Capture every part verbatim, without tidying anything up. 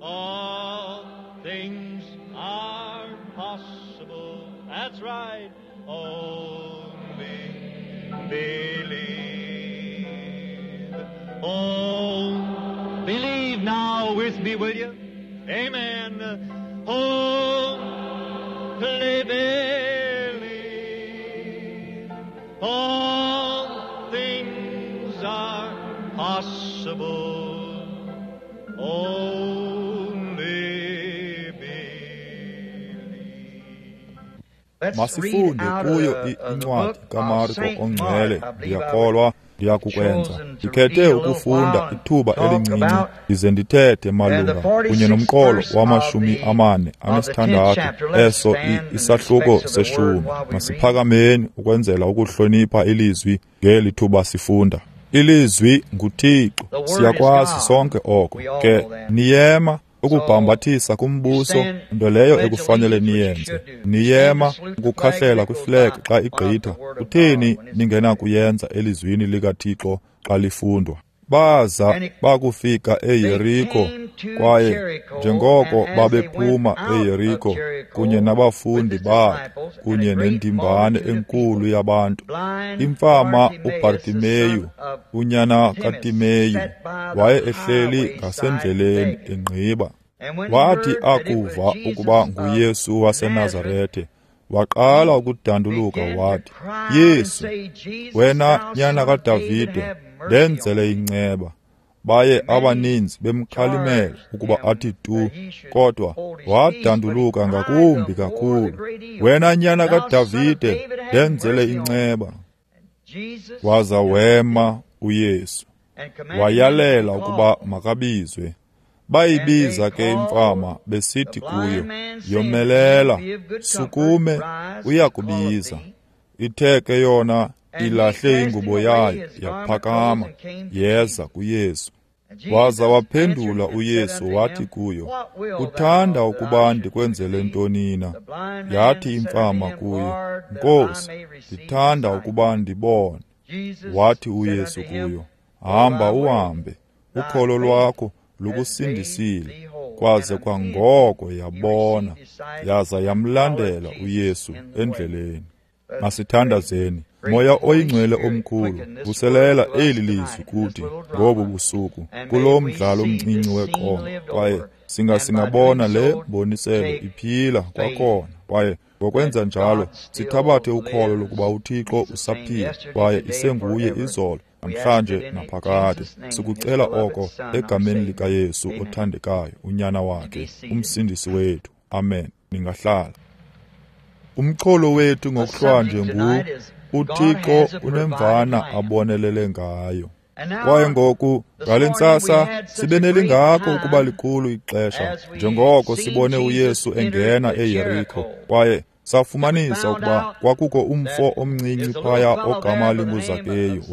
All things are possible. That's right. Only believe. Oh, believe now with me, will you? Amen. Only believe. All things are possible. Only believe. Masifunde kuyo incwadi kaMarko ongcwele. Ndiyakholwa ndiyakukwenza. Ndikhethe ukufunda ithuba elincinci ndize ndithethe malunga kunye nomqolo wamashumi amane anesithandathu eso isahluko seshumi. Masiphakameni ukwenzela ukuhlonipha ilizwi ngeli thuba sifunda. Ilizwi nguThixo, siyakwazi sonke oko. Ke niyema ukubhambathisa kumbuso, nto leyo ekufanele niyenze. Niyema ukukhahlela kwiflag xa igqitha. Kutheni ningenakuyenza elizwini likaThixo xa lifundwa? Baza bakufika eYeriko, kwaye njengoko babephuma eYeriko kunye nabafundi bakhe kunye nendimbane enkulu yabantu, imfama uBartimeyu, unyana kaTimeyu, waye ehleli ngasendleleni engqiba. Wathi akuva ukuba nguYesu waseNazarete, waqala ukudanduluka wathi, Yesu, wena nyana kaDavide, ndenzele inceba. Baye abaninzi bemkhalimela ukuba athi tu, kodwa wadanduluka ngakumbi kakhulu, wena nyana kaDavide, ndenzele inceba. Waza wema uYesu, wayalela ukuba makabizwe. Bayibiza ke imfama besithi kuyo, yomelela, sukume, uyakubiza. Ithe ke yona ilahle ingubo yayo, yaphakama, yeza kuYesu. Waza waphendula uYesu wathi kuyo, uthanda ukuba ndikwenzele ntoni na? Yathi imfama kuyo, Nkosi, ndithanda ukuba ndibone. Wathi uYesu kuyo, hamba uhambe, ukholo lwakho lukusindisile. Kwaze kwangoko yabona, yaza yamlandela uYesu endleleni. Masithandazeni. Moya oyingcwele omkhulu, vuselela eli lizwi kuthi ngobu busuku kulo mdlalo omncinci weqonga, kwaye singa singabona le mboniselo iphila kwakhona, kwaye ngokwenza njalo sithabathe ukholo lokuba uThixo usaphila kwaye isenguye izolo, namhlanje naphakade. Sikucela oko egameni likaYesu othandekayo, unyana wakhe, umsindisi wethu. Amen. Ningahlala. Umxholo wethu ngokuhlwanje ngu uThixo unemvana abonelele ngayo. Kwaye ngoku ngale ntsasa sibe nelingako ukuba likhulu ixesha njengoko sibone uYesu engena eYeriko, kwaye safumanisa ukuba kwakukho umfo omncinci phaya ogama linguZakeyu.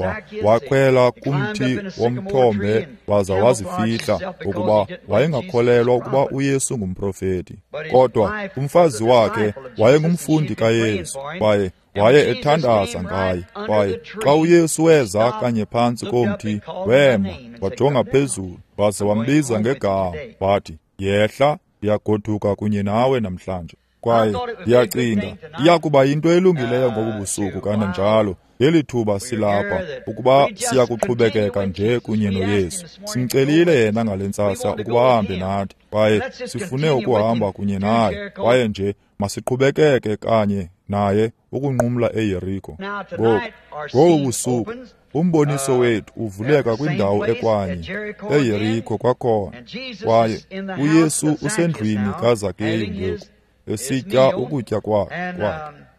Wakhwela kumthi womthombe waza wazifihla ngokuba wayengakholelwa ukuba uYesu ngumprofeti. Kodwa umfazi wakhe wayengumfundi kaYesu, kwaye waye ethandaza ngaye. Kwaye xa uYesu weza kanye phantsi komthi, wema wajonga phezulu waze wambiza ngegama wathi, yehla, ndiyagoduka kunye nawe namhlanje. Kwaye ndiyacinga iyakuba yinto elungileyo ngobu busuku kananjalo ngeli thuba silapha ukuba siyakuqhubekeka nje kunye noYesu. Simcelile yena ngale ntsasa ukuba ahambe nathi, kwaye sifune ukuhamba kunye naye, kwaye nje masiqhubekeke kanye naye ukunqumla eYeriko. Ngoku ngobu busuku umboniso wethu uvuleka kwindawo ekwanye eYeriko kwakhona, kwaye uYesu usendlwini kaZakeyu ngoku, esitya ukutya kwakhe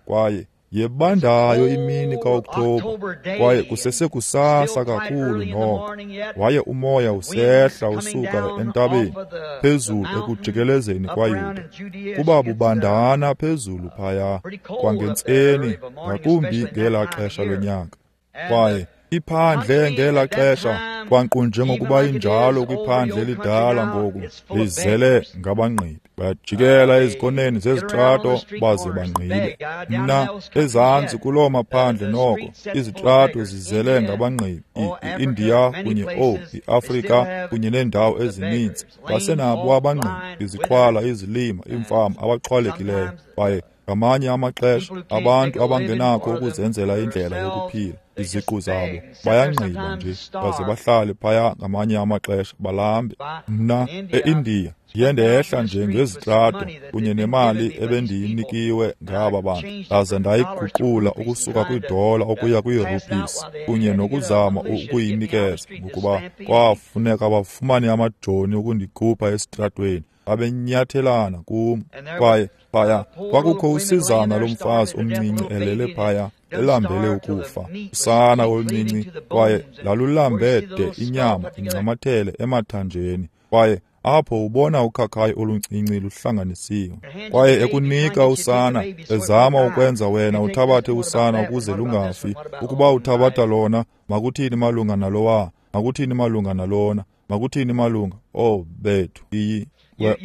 kwaye yebandayo imini kaOkthobha, kwaye kusesekusasa kakhulu noko. Waye umoya usehla usuka entabeni phezulu ekujikelezeni kwaYuda, kuba bubandana phezulu phaya kwangentseni, ngakumbi ngelaa xesha lonyaka. Kwaye iphandle ngelaa xesha, kwankqu njengokuba injalo kwiphandle elidala ngoku, lizele ngabangqibi. Bayajikela ezikoneni zezitrato baze bangqibe. Mna ezantsi kuloo maphandle noko izitrato zizele ngabangqibi, i-India kunye o i-Afrika kunye neendawo ezininzi. Basenabo abangqibi, iziqhwala, izilima, iimfama abaxhwalekileyo. Kwaye ngamanye amaxesha abantu abangenakho ukuzenzela indlela yokuphila iziqu zabo bayangqiba nje baze bahlale phaya ngamanye amaxesha balambe. Mna e-India ndiye ndehla nje ngezitrato kunye nemali ebendiyinikiwe ngaba bantu, ndaze ndayiguqula ukusuka kwidola ukuya kwiirupisi kunye nokuzama ukuyinikeza, ngokuba kwafuneka bafumane amajoni ukundikhupha esitratweni. Babenyathelana kum. Kwaye phaya kwakukho usizana lomfazi omncinci elele phaya elambele ukufa, usana oluncinci, kwaye lalulambe de inyama incamathele emathanjeni. Kwaye apho ubona ukhakhayi oluncinci luhlanganisiwe, kwaye ekunika usana, ezama ukwenza wena uthabathe usana ukuze lungafi. Ukuba uthabatha lona, makuthini malunga nalowa, makuthini malunga nalona, makuthini malunga, oh bethu, iyi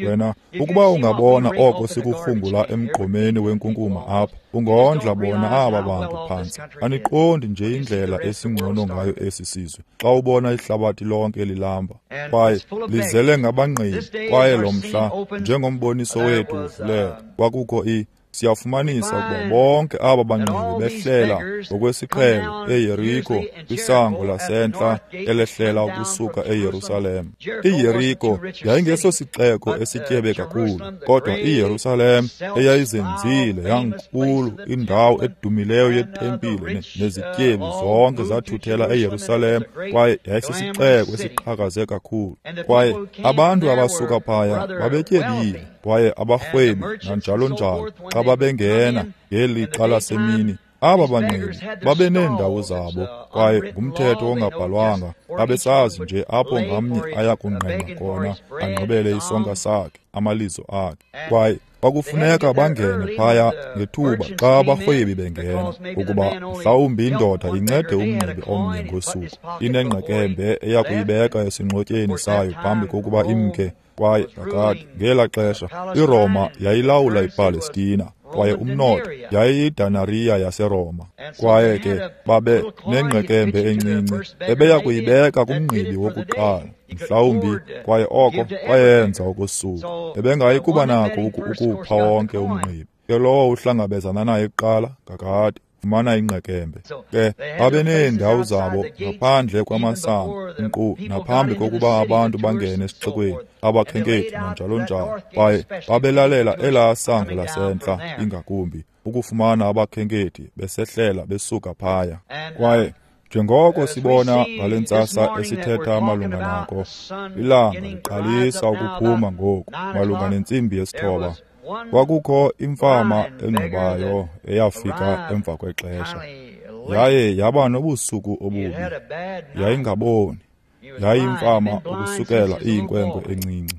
wena ukuba ungabona oko sikukhungula emgqomeni wenkunkuma apha, ungondla bona aba bantu phantsi. Aniqondi nje indlela esingcono ngayo esi sizwe xa ubona ihlabathi lonke lilamba kwaye lizele ngabangqibi. Kwaye lo mhla njengomboniso wethu uvuleka, kwakukho i siyafumanisa ukuba bonke aba bangqibi behlela ngokwesiqhelo eYeriko, kwisango lasentla elehlela ukusuka eYerusalem. IYeriko yayingesosixeko esityebe kakhulu, kodwa iYerusalem eyayizenzile yankulu, indawo edumileyo yetempile nezityebi zonke zathuthela eYerusalem, kwaye yayisisixeko esiqhakaze kakhulu. Kwaye abantu abasuka phaya babetyebile, kwaye abarhwebi nanjalo njalo xa babengena ngelixa lasemini, aba bangqibi babeneendawo zabo, kwaye ngumthetho ongabhalwanga babesazi nje apho ngamnye aya kungqengqa khona angqibele isonka sakhe, amalizo akhe. Kwaye kwakufuneka bangene phaya ngethuba xa abarhwebi bengena, ukuba mhlawumbi indoda incede umngqibi omnye ngosuku, inengqekembe eya kuyibeka esingxotyeni sayo phambi kokuba imke. Kwaye kakade ngela xesha iRoma yayilawula iPalestina, kwaye umnotho yayiyidanariya yaseRoma. Kwaye ke babe nengqekembe encinci ebeya kuyibeka kumngqibi wokuqala mhlawumbi, kwaye oko kwayenza okosuku. Ebengayi kuba nako ukupha wonke umngqibi, ke lowo uhlangabezana naye kuqala kakade fumana ingqekembe. Ke babeneendawo zabo ngaphandle kwamasango, nkqu naphambi kokuba abantu bangene esixekweni, abakhenkethi nanjalo njalo. Kwaye babelalela elaa sango lasentla ingakumbi ukufumana abakhenkethi besehlela besuka phaya. Kwaye njengoko sibona ngale ntsasa esithetha malunga nako, ilanga liqalisa ukuphuma ngoku malunga nentsimbi yesithoba. Kwakukho imfama engqibayo eyafika emva kwexesha, yaye yaba nobusuku obubi. Yayingaboni, yayimfama ukusukela iyinkwenkwe encinci.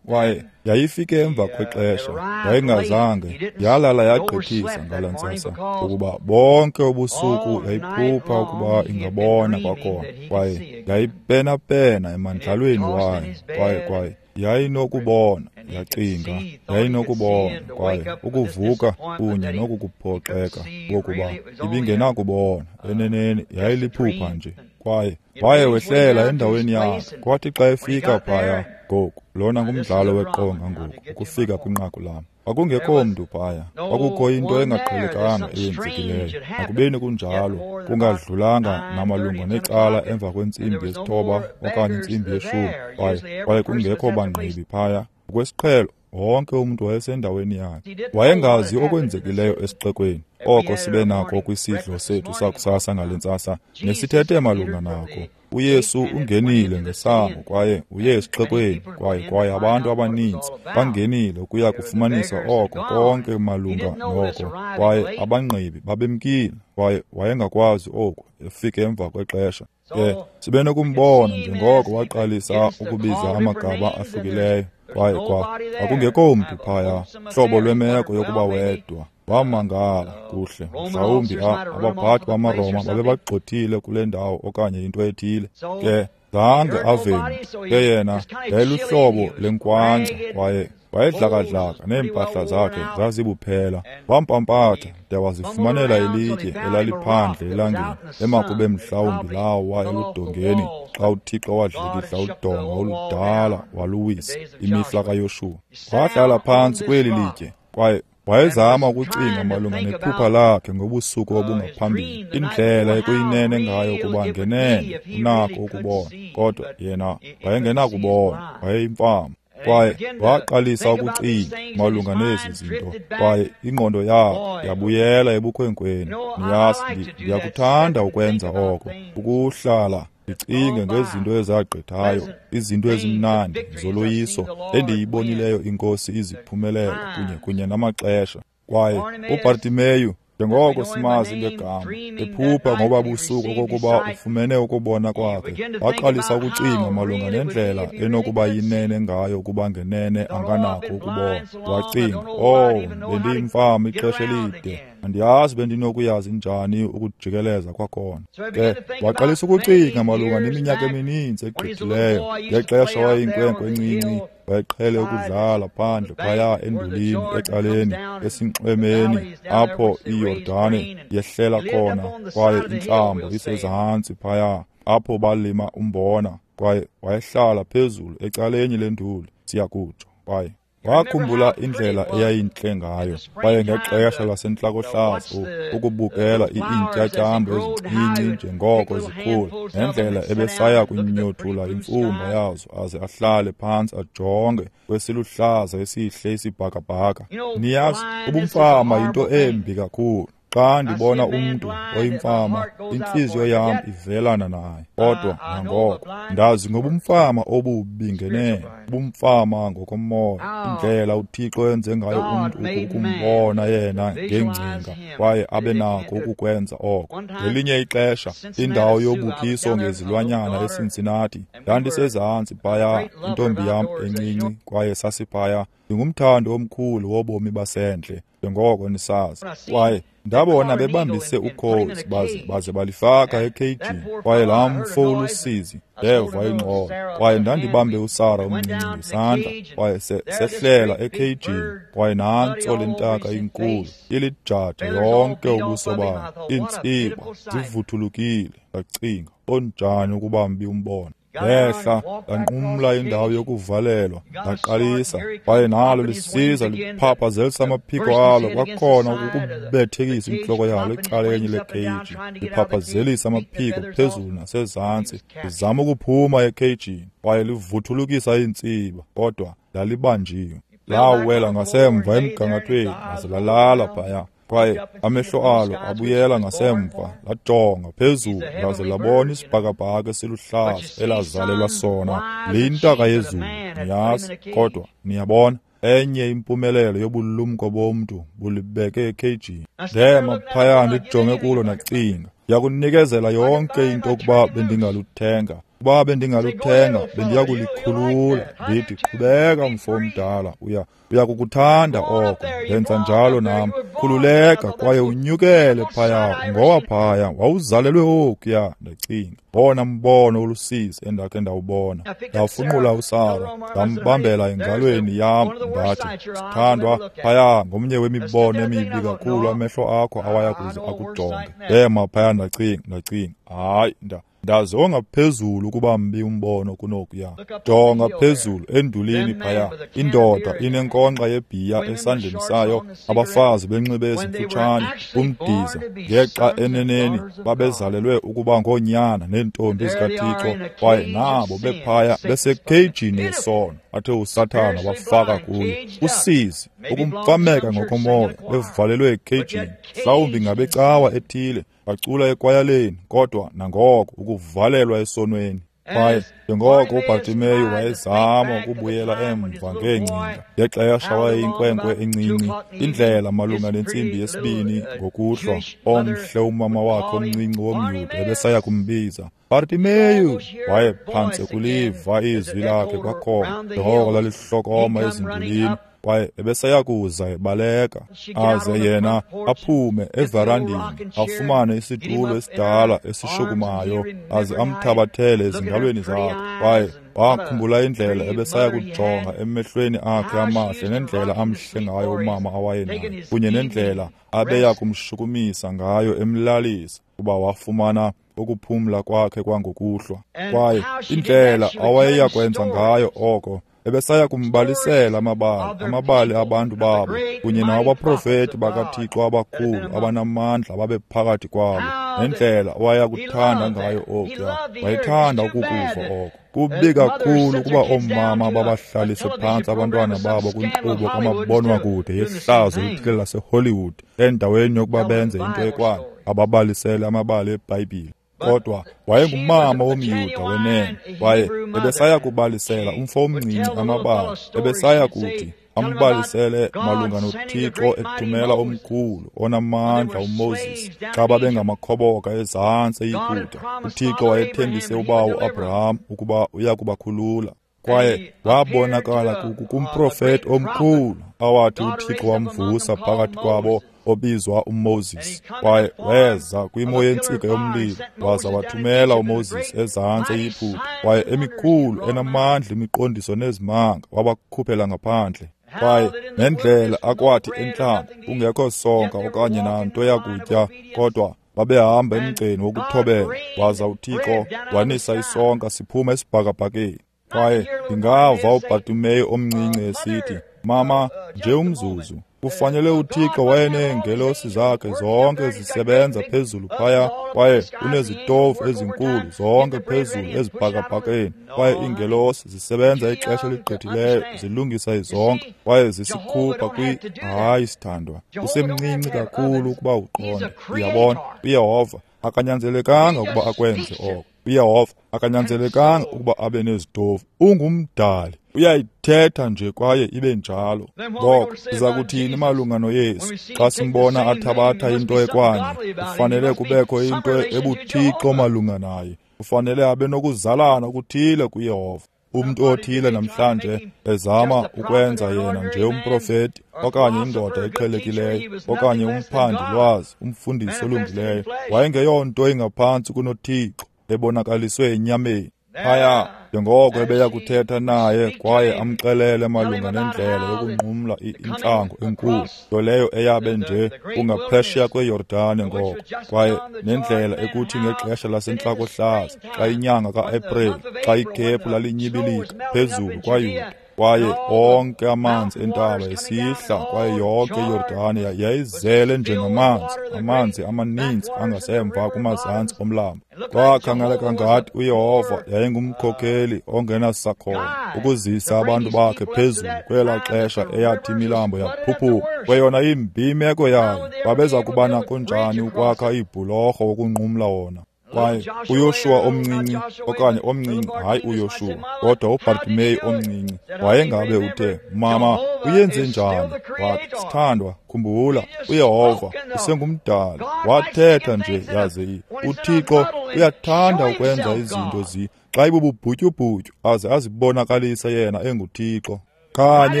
Kwaye yayifike emva kwexesha, yayingazange yalala yagqithisa ngala ntsasa, ukuba bonke ubusuku yayiphupha ukuba ingabona kwakhona. Kwaye yayipenapena emandlalweni wayo, kwaye kwaye yayinokubona, yacinga yayinokubona, kwaye ukuvuka kunye nokukuphoxeka kokuba ibingenakubona, eneneni yayiliphupha nje. Kwaye waye wehlela endaweni yakhe. Kwathi xa efika phaya ngoku, lona ngumdlalo weqonga ngoku, ukufika kwinqaku lam. Kwakungekho mntu phaya, kwakukho into engaqhelekanga eyenzekileyo. Nakubeni kunjalo, kungadlulanga namalunga necala emva kwentsimbi yesithoba okanye intsimbi yeshumi, kwaye kwaye kungekho bangqibi phaya. Ngokwesiqhelo wonke umntu wayesendaweni yakhe. Wayengazi okwenzekileyo esixekweni. Oko sibe nako kwisidlo sethu sakusasa ngale ntsasa nesithethe malunga nako. uYesu ungenile ngesango kwaye uye esixekweni, kwaye kwaye abantu abaninzi bangenile ukuya kufumanisa oko konke malunga noko, kwaye abangqibi babemkile, kwaye wayengakwazi oku efike emva kwexesha. Ke sibe nokumbona njengoko waqalisa ukubiza amagama ahlukileyo, kwaye kwa akungekho mntu phaya, hlobo lwemeko yokuba wedwa. Wamangala kuhle, mhlawumbi abaphathi bamaRoma babebagxothile kule ndawo okanye into ethile. Ke zange ave mntu. Ke yena yayiluhlobo lenkwanca, kwaye Wayedlakadlaka neempahla zakhe zazibuphela. Wampampatha de wazifumanela ilitye elaliphandle elangeni, emakube mhlawumbi lawa eludongeni xa uThixo wadlikidla udonga oludala waluwisa imihla kaYoshuwa. Wahlala phantsi kweli litye kwaye wayezama ukucinga malunga nephupha lakhe ngobusuku obungaphambili, indlela ekuyinene ngayo ukuba ngenene unako ukubona, kodwa yena wayengenakubona, wayeyimfama. Kwaye waqalisa ukucinga malunga nezi zinto, kwaye ingqondo yakhe yabuyela ebukhwenkweni. Niyazi, ndiyakuthanda ukwenza oko, ukuhlala ndicinge ngezinto ezagqithayo, izinto ezimnandi zoloyiso endiyibonileyo iNkosi iziphumelela kunye kunye namaxesha. Kwaye uBartimeyu, njengoko simazi ngegama, ephupha ngoba busuku okokuba ufumene ukubona kwakhe, waqalisa ukucinga malunga nendlela enokuba yinene ngayo ukuba ngenene anganakho ukubona. Wacinga, oh, bendiyimfama ixesha elide, andiyazi bendinokuyazi njani ukujikeleza kwakhona. Ke waqalisa ukucinga malunga neminyaka emininzi egqithileyo, ngexesha wayeyinkwenkwe encinci, wayeqhele ukudlala phandle phaya endulini ecaleni esinxwemeni apho iYordane yehlela khona, kwaye intlambo isezantsi phaya apho balima umbona, kwaye wayehlala phezulu ecaleni lenduli, siyakutsho. Kwaye wakhumbula indlela eyayintle ngayo, kwaye ngexesha lasentlakohlaza ukubukela iintyatyambo ezincinci njengoko zikhula, nendlela ebesaya kunyothula imfumba yazo aze ahlale phantsi ajonge kwesiluhlaza esihle isibhakabhaka. Niyazi, ubumfama yinto embi kakhulu. Xa ndibona umntu oyimfama, intliziyo yam ivelana naye. Kodwa nangoko ndazi ngobumfama obubi ngenene, ubumfama ngokomoya, indlela uThixo enze ngayo umntu ukumbona yena ngengcinga kwaye abe nako ukukwenza oko. Ngelinye ixesha, indawo yobukiso ngezilwanyana eCincinnati, ndandisezantsi phaya, intombi yam encinci, kwaye sasiphaya. Ndingumthandi omkhulu wobomi basendle, njengoko nisazi. Kwaye ndabona bebambise ukhozi baze baze balifaka ekheyijini, kwaye laa mfo ulusizi, ndeva ingxolo. Kwaye ndandibambe uSara omncinci ngesandla, kwaye sehlela ekheyijini, kwaye nantso le ntaka inkulu ilijaja yonke ubuso bayo, iintsiba zivuthulukile. Ndacinga, onjani ukuba mbi umbono. Ndehla ndanqumla indawo yokuvalelwa, ndaqalisa, kwaye nalo lisiza liphaphazelisa amaphiko alo kwakhona ukubethekisa intloko yalo ecaleni lekheyiji, liphaphazelisa amaphiko phezulu nasezantsi, lizama ukuphuma ekheyijini, kwaye livuthulukisa iintsiba, kodwa lalibanjiwe. Lawela ngasemva emgangathweni laze lalala phaya. Kwaye amehlo alo abuyela ngasemva, lajonga phezulu laze labona isibhakabhaka esiluhlaza elazalelwa sona, liyintaka yezulu, niyazi. Kodwa niyabona, enye impumelelo yobulumko bomntu bulibeke ekheyijini. Ndema phaya ndijonge kulo ndacinga, ndiyakunikezela yonke into ukuba bendingaluthenga. Ukuba bendingaluthenga, bendiyakulikhulula. Ndithi, qhubeka mfo omdala, uya uyakukuthanda oko. Ndenza njalo nam. Khululeka kwaye unyukele phaya, ungowa phaya, wawuzalelwe okuya. Ndacinga, wona mbono olusizi endakhe ndawubona. Ndafunqula uSara, ndambambela engalweni yam, ndathi, sithandwa, phaya ngomnye wemibono emibi kakhulu amehlo akho awaya kuze akujonge. Ndema phaya ndacinga, ndacinga, hayi, nda ndazi ongaphezulu ukuba mbi umbono kunokuya. Jonga phezulu endulini phaya, indoda inenkonxa yebhiya esandleni sayo, abafazi benxibe ezimfutshane, umdiza, ngexa eneneni babezalelwe ukuba ngoonyana neentombi zikaThixo, kwaye nabo bephaya besekheyijini yesono athe uSathana wafaka kuyo. Usizi, ukumfameka ngokomoya, bevalelwe ekheyijini, mhlawumbi ngabecawa ethile, bacula ekwayaleni, kodwa nangoko ukuvalelwa esonweni. Kwaye njengoko uBartimeyu wayezama ukubuyela emva ngeengcinga ngexesha wayeyinkwenkwe encinci, indlela malunga nentsimbi yesibini ngokuhlwa, omhle umama wakhe omncinci womYuda ebesaya kumbiza, Bartimeyu. Waye phantse kuliva izwi lakhe kwakhona njengoko lalihlokoma ezindulini, kwaye ebesaya kuza ebaleka, aze yena aphume everandini, afumane isitulo esidala esishukumayo, aze amthabathele ezingalweni zakhe. Kwaye Wakhumbula indlela ebesaya kujonga emehlweni akhe amahle nendlela amhle ngayo umama awayenayo, kunye nendlela abeya kumshukumisa ngayo emlalisa kuba wafumana ukuphumla kwakhe kwangokuhlwa. Kwaye indlela awayeya kwenza ngayo oko, ebesaya kumbalisela amabali, amabali abantu babo, kunye nawabaprofeti bakaThixo abakhulu abanamandla ababephakathi kwabo, nendlela awaya kuthanda ngayo okuya. Wayethanda ukukuva oko. Kubi kakhulu ukuba oomama babahlalise phantsi abantwana babo kwinkqubo kamabonwakude yehlazo elithile laseHollywood endaweni yokuba benze into ekwayo, ababalisele amabali eBhayibhile. Kodwa wayengumama womYuda wenene, kwaye ebesaya kubalisela umfo omncinci amabali. Ebesaya kuthi ambalisele malunga noThixo ethumela omkhulu onamandla uMoses xa babengamakhoboka ezantsi eYiputa. UThixo wayethembise ubawo uAbraham ukuba uya kubakhulula. Kwaye wabonakala kumprofeti omkhulu awathi uThixo wamvusa phakathi kwabo obizwa uMoses. Kwaye weza kwimo yentsika yomlilo waza wathumela uMoses ezantsi eYiputa. Kwaye emikhulu enamandla imiqondiso nezimanga wabakhuphela ngaphandle. Kwaye nendlela akwathi entlango kungekho sonka okanye nanto yakutya, kodwa babehamba emgceni wokuthobela, waza uThixo wanisa isonka siphuma esibhakabhakeni. Kwaye ndingava uBhartimeyu omncinci esithi, "Mama, nje umzuzu, kufanele uThixo wayeneengelosi zakhe zonke zisebenza phezulu phaya, kwaye unezitofu ezinkulu zonke phezulu ezibhakabhakeni, kwaye iingelosi zisebenza ixesha eligqithileyo zilungisa izonka kwaye zisikhupha kwi..." Hayi, sithandwa, usemncinci kakhulu ukuba uqonde. Uyabona, uYehova akanyanzelekanga ukuba akwenze oko. uYehova akanyanzelekanga ukuba abe nezitofu. Ungumdali, uyayithetha nje kwaye ibe njalo. Ngoko siza kuthini malunga noYesu xa simbona athabatha into ekwanye? Kufanele kubekho into ebuthixo malunga naye. Kufanele abe nokuzalana okuthile kuYehova. Umntu othile namhlanje ezama ukwenza yena nje umprofeti okanye indoda eqhelekileyo okanye umphandi lwazi, umfundisi olungileyo, wayengeyonto ingaphantsi kunoThixo ebonakaliswe enyameni. Phaya njengoko ebeya kuthetha naye kwaye amxelele malunga nendlela yokunqumla intlango enkulu, nto leyo eyabe nje kungaphesheya kweYordane ngoko, kwaye nendlela ekuthi ngexesha lasentlakohlaza xa inyanga ka-Aprili, xa ikhephu lalinyibilika phezulu kwaYuda, kwaye onke amanzi entaba esihla, kwaye yonke iYordane yayizele njengamanzi, amanzi amaninzi angasemva kumazantsi omlambo. Kwakhangeleka ngathi uYehova yayingumkhokheli ongenasakhono ukuzisa abantu bakhe phezulu kwelaa xesha eyathi imilambo yaphuphuma. Kweyona imbi imeko yayo, babeza kuba nako njani ukwakha iibhulorho ukunqumla wona? Kwaye uYoshuwa omncinci, okanye omncinci, hayi uYoshuwa, kodwa uBhartimeyu omncinci, wayengabe uthe, "Mama, uyenze njani?" Wathi, "Sithandwa, khumbula, uYehova usengumdali." Wathetha nje yaze uThixo uyathanda ukwenza izinto zi xa ibububhutyubhutyu aze azibonakalise yena enguThixo. Kanye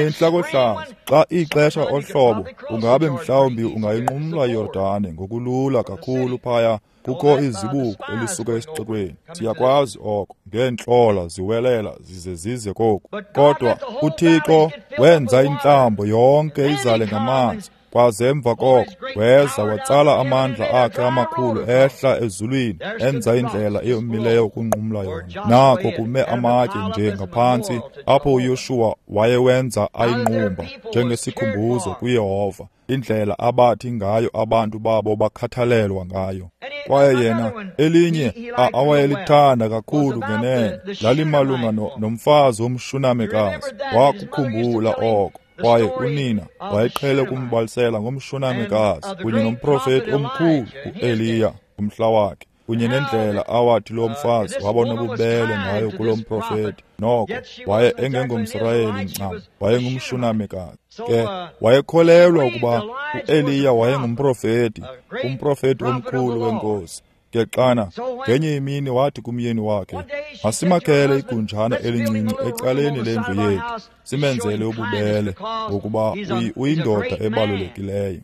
entlakohlaza, xa ixesha ohlobo, ungabe mhlawumbi ungayinqumla iYordane ngokulula kakhulu phaya. Kukho izibuko elisuka esixekweni, siyakwazi oko, ngeentlola ziwelela zize zize koku. Kodwa uThixo wenza intlambo yonke izale ngamanzi, kwaze emva koko weza watsala amandla akhe amakhulu ehla ezulwini, enza indlela eyomileyo ukunqumla yona. Nako kume amatye nje ngaphantsi apho uYoshuwa wayewenza ayinqumba njengesikhumbuzo kuYehova, indlela abathi ngayo abantu babo bakhathalelwa ngayo. Kwaye yena elinye awayelithanda kakhulu ngenene lalimalunga nomfazi womShunamekazi. Wakukhumbula oko. Kwaye unina wayeqhele ukumbalisela ngomShunamekazi kunye nomprofeti omkhulu uEliya ngomhla wakhe, kunye nendlela awathi lo mfazi waba nobubele ngayo kulo mprofeti. Noko waye engengomSirayeli ncam, wayengumShunamekazi. Ke wayekholelwa ukuba uEliya wayengumprofeti, umprofeti omkhulu wenkosi. Ke xana ngenye imini wathi kumyeni wakhe, "Masimakhele igunjana elincinci ecaleni lendlu yethu, simenzele ububele, ngokuba uyindoda ebalulekileyo."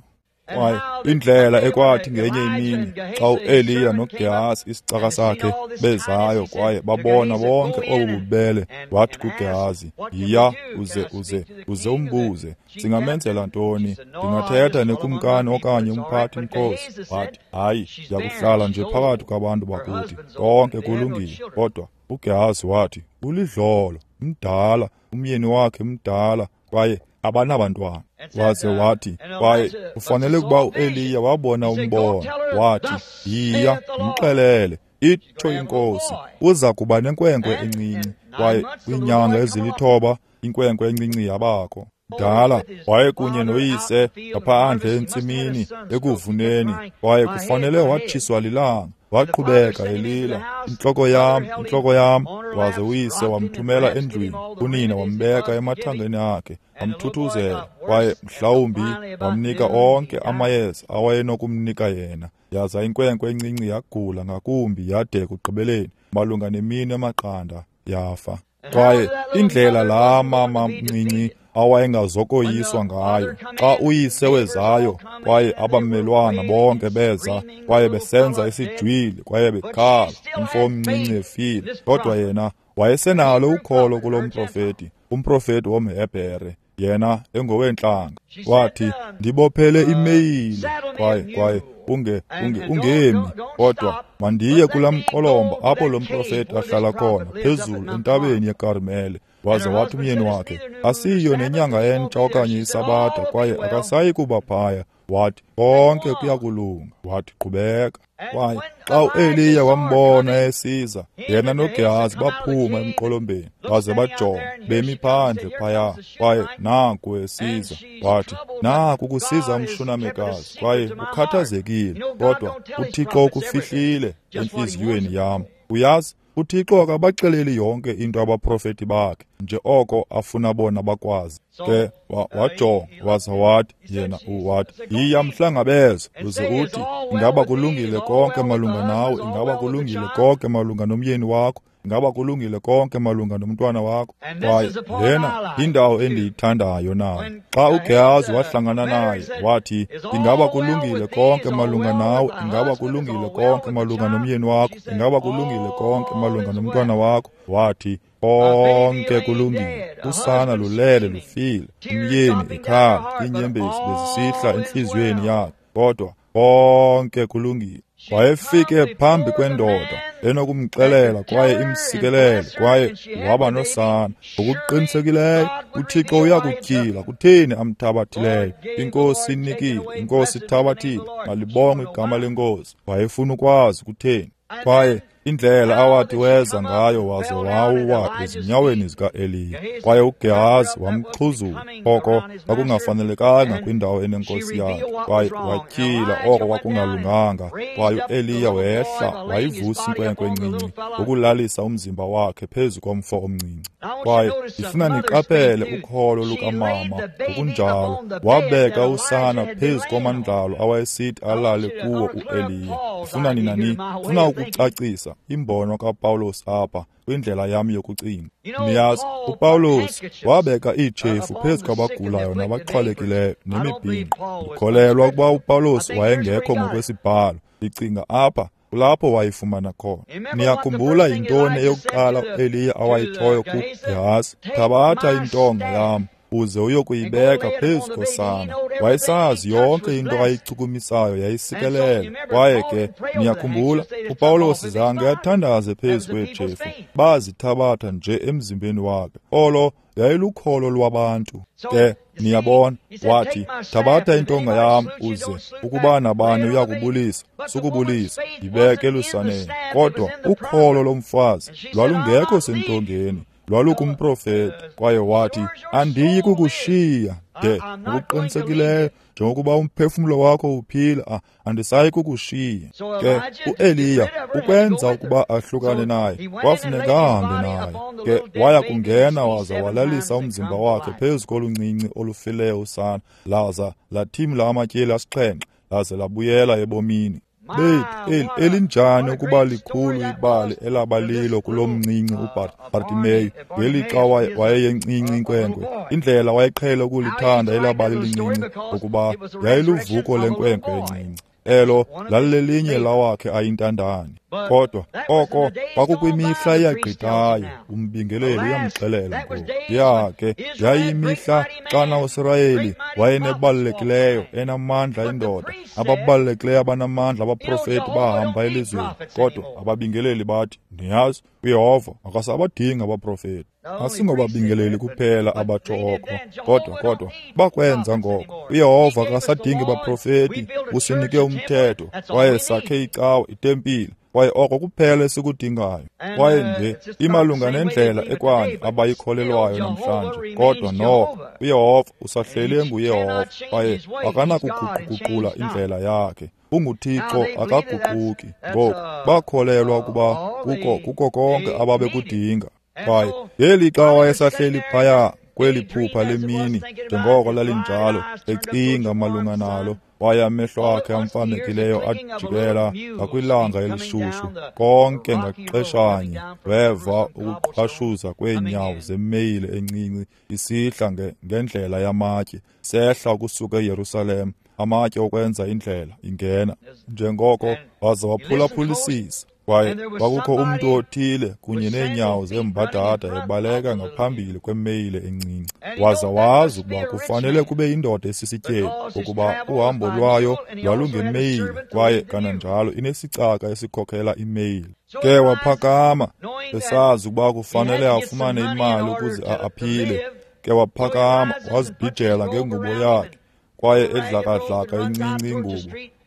Kwaye indlela ekwathi ngenye imini xa uEliya noGehazi isicaka sakhe bezayo kwaye babona bonke obu bubele, wathi kuGehazi, yiya uze uze uze umbuze, singamenzela ntoni? Ndingathetha nekumkani okanye umphathi mkhosi. Wathi, hayi, ndiyakuhlala nje phakathi kwabantu bakuthi, konke kulungile. Kodwa uGehazi wathi, ulidlolo, mdala, umyeni wakhe mdala, kwaye abanabantwana. Waze wathi, kwaye ufanele ukuba uEliya wabona umbono. Wathi, yiya, mxelele, itsho inkosi, uza kuba nenkwenkwe encinci. Kwaye kwiinyanga ezilithoba inkwenkwe encinci yabakho. Mdala wayekunye noyise ngaphandle entsimini ekuvuneni, kwaye kufanele watshiswa lilanga. Waqhubeka elila, intloko yam, intloko yam. Waze uyise wamthumela endlwini, unina wambeka emathangeni akhe, wamthuthuzela, kwaye mhlawumbi wamnika onke amayeza awayenokumnika yena. Yaza inkwenkwe encinci yagula ngakumbi yade ekugqibeleni malunga nemini emaqanda yafa. Kwaye indlela laa mama mncinci awayengazokoyiswa ngayo xa uyise wezayo, kwaye abamelwana bonke beza, kwaye besenza isijwili, kwaye bekhala, umfo omncinci efile. Kodwa yena wayesenalo ukholo kulo mprofeti, umprofeti womHebhere, yena engoweentlanga. Wathi, ndibophele imeyile, kwaye kwaye unge unge ungemi, kodwa mandiye kulaa mqolomba apho lo mprofeti ahlala khona, phezulu entabeni yeKarmele. Waze wathi umyeni wakhe, asiyo nenyanga entsha okanye isabatha, kwaye akasayi kuba phaya. Wathi, konke kuyakulunga. Wathi, qhubeka. Kwaye xa uEliya wambona esiza, yena noGehazi baphuma emqolombeni, baze bajonga, bemi phandle phaya, kwaye naku esiza. Wathi, naku kusiza umshunamekazi, kwaye ukhathazekile, kodwa uThixo ukufihlile entliziyweni yam. Uyazi, uThixo akabaxeleli yonke into abaprofeti bakhe, nje oko afuna bona bakwazi. Ke wajonga, waza wathi yena wathi, yiya mhlangabeze, uze uthi, ingaba kulungile konke malunga nawe, ingaba kulungile konke malunga nomyeni wakho, ingaba kulungile konke malunga nomntwana wakho. Kwaye lena yindawo endiyithandayo nayo. Xa uGehazi wahlangana naye, wathi, ingaba kulungile konke malunga nawe, ingaba kulungile konke malunga nomyeni wakho, ingaba kulungile konke malunga nomntwana wakho. Wathi, konke kulungile, usana lulele lufile, umyeni ekhala, iinyembezi bezisihla entliziyweni yakhe, kodwa konke kulungile. Wayefike phambi kwendoda enokumxelela kwaye imsikelele, kwaye waba nosana. Ngokuqinisekileyo uThixo uyakutyhila kutheni amthabathileyo. Inkosi inikile, inkosi ithabathile, malibongwe igama lenkosi. Wayefuna ukwazi kutheni. Kwaye indlela awathi weza ngayo, waze wawuwa ezinyaweni zikaEliya, kwaye uGehazi wamxhuzula oko kwakungafanelekanga kwindawo enenkosi yakhe, kwaye watyhila oko kwakungalunganga. Kwaye uEliya wehla wayivusa inkwenkwe encinci ngokulalisa umzimba wakhe phezu komfo omncinci. Kwaye ndifuna niqaphele ukholo lukamama. Ngokunjalo wabeka usana phezu komandlalo awayesithi alale kuwo uEliya. Ndifuna nina ni ndifuna ukucacisa imbono kaPawulos apha kwindlela yam yokucinga. Niyazi, uPawulos wabeka iitshefu phezu kwabagulayo nabaxhwalekileyo nemibhinqo. Ndikholelwa ukuba uPawulos wayengekho ngokwesibhalo. Ndicinga apha kulapho wayifumana khona. Niyakhumbula yintoni eyokuqala uEliya awayitshoyo kuGehazi? Thabatha intonga yam uze uyokuyibeka phezu kosana. Wayesazi yonke into ayichukumisayo yayisikelela. Kwaye ke niyakhumbula, uPawulos zange athandaze phezu kweetshefu, bazithabatha nje emzimbeni wakhe. Olo yayilukholo lwabantu. Ke niyabona, wathi, thabatha intonga yam uze, ukuba nabani uyakubulisa, sukubulisa, yibeke elusaneni. Kodwa ukholo lomfazi lwalungekho sentongeni, lwalukumprofeti. Kwaye wathi, andiyi kukushiya de ngokuqinisekileyo njengokuba umphefumlo wakho uphila, andisayi kukushiya. Ke uEliya ukwenza ukuba ahlukane naye, kwafuneka ahambe naye. Ke waya kungena waza walalisa umzimba wakhe phezu koluncinci olufileyo usana, laza lathimla amatyeli asixhenxe, laze labuyela ebomini. Bethu, elinjani ukuba likhulu ibali elabalilo kulo mncinci uBartimeyu ngelixa wayeyencinci inkwenkwe. Indlela wayeqhele ukulithanda elabali lincinci ngokuba yayiluvuko lenkwenkwe encinci. Elo lalilelinye lawakhe ayintandane. Kodwa oko kwakukwimihla eyagqithayo, umbingeleli uyamxelela ngoku. Ya ke yayimihla xana uSirayeli wayenebalulekileyo enamandla indoda, ababalulekileyo abanamandla abaprofeti bahamba elizweni. Kodwa ababingeleli bathi, niyazi, uYehova akasabadingi abaprofeti. Asingobabingeleli kuphela abatsho oko, kodwa kodwa bakwenza ngoko. uYehova akasadingi baprofeti, usinike umthetho, kwaye sakhe icawa, itempile, kwaye oko kuphela esikudingayo. Kwaye nje imalunga nendlela ekwanye abayikholelwayo namhlanje, kodwa noko uYehova usahleli enguYehova, kwaye akanakuguquguqula indlela yakhe. UnguThixo, akaguquki. Ngoku bakholelwa ukuba kuko kuko konke ababekudinga. Kwaye ngelixa wayesahleli phaya kweli phupha lemini, njengoko lalinjalo, ecinga malunga nalo, kwaye amehlo akhe amfamekileyo ajikela ngakwilanga elishushu. Konke ngaxeshanye weva ukuqhashuza kweenyawo zemeyile encinci isihla ngendlela yamatye, sehla ukusuka eYerusalem, amatye okwenza indlela ingena. Njengoko waza waphulaphulisisa, kwaye kwakukho umntu othile kunye neenyawo zembadada ebaleka ngaphambili kwemeyile encinci. Waza wazi ukuba kufanele kube yindoda esisityebi, ukuba uhambo lwayo lwalungemeyile, kwaye kananjalo inesicaka esikhokela imeyile. Ke waphakama, esazi ukuba kufanele afumane imali ukuze aphile. Ke waphakama, wazibhijela ngengubo yakhe, kwaye edlakadlaka incinci ingubo.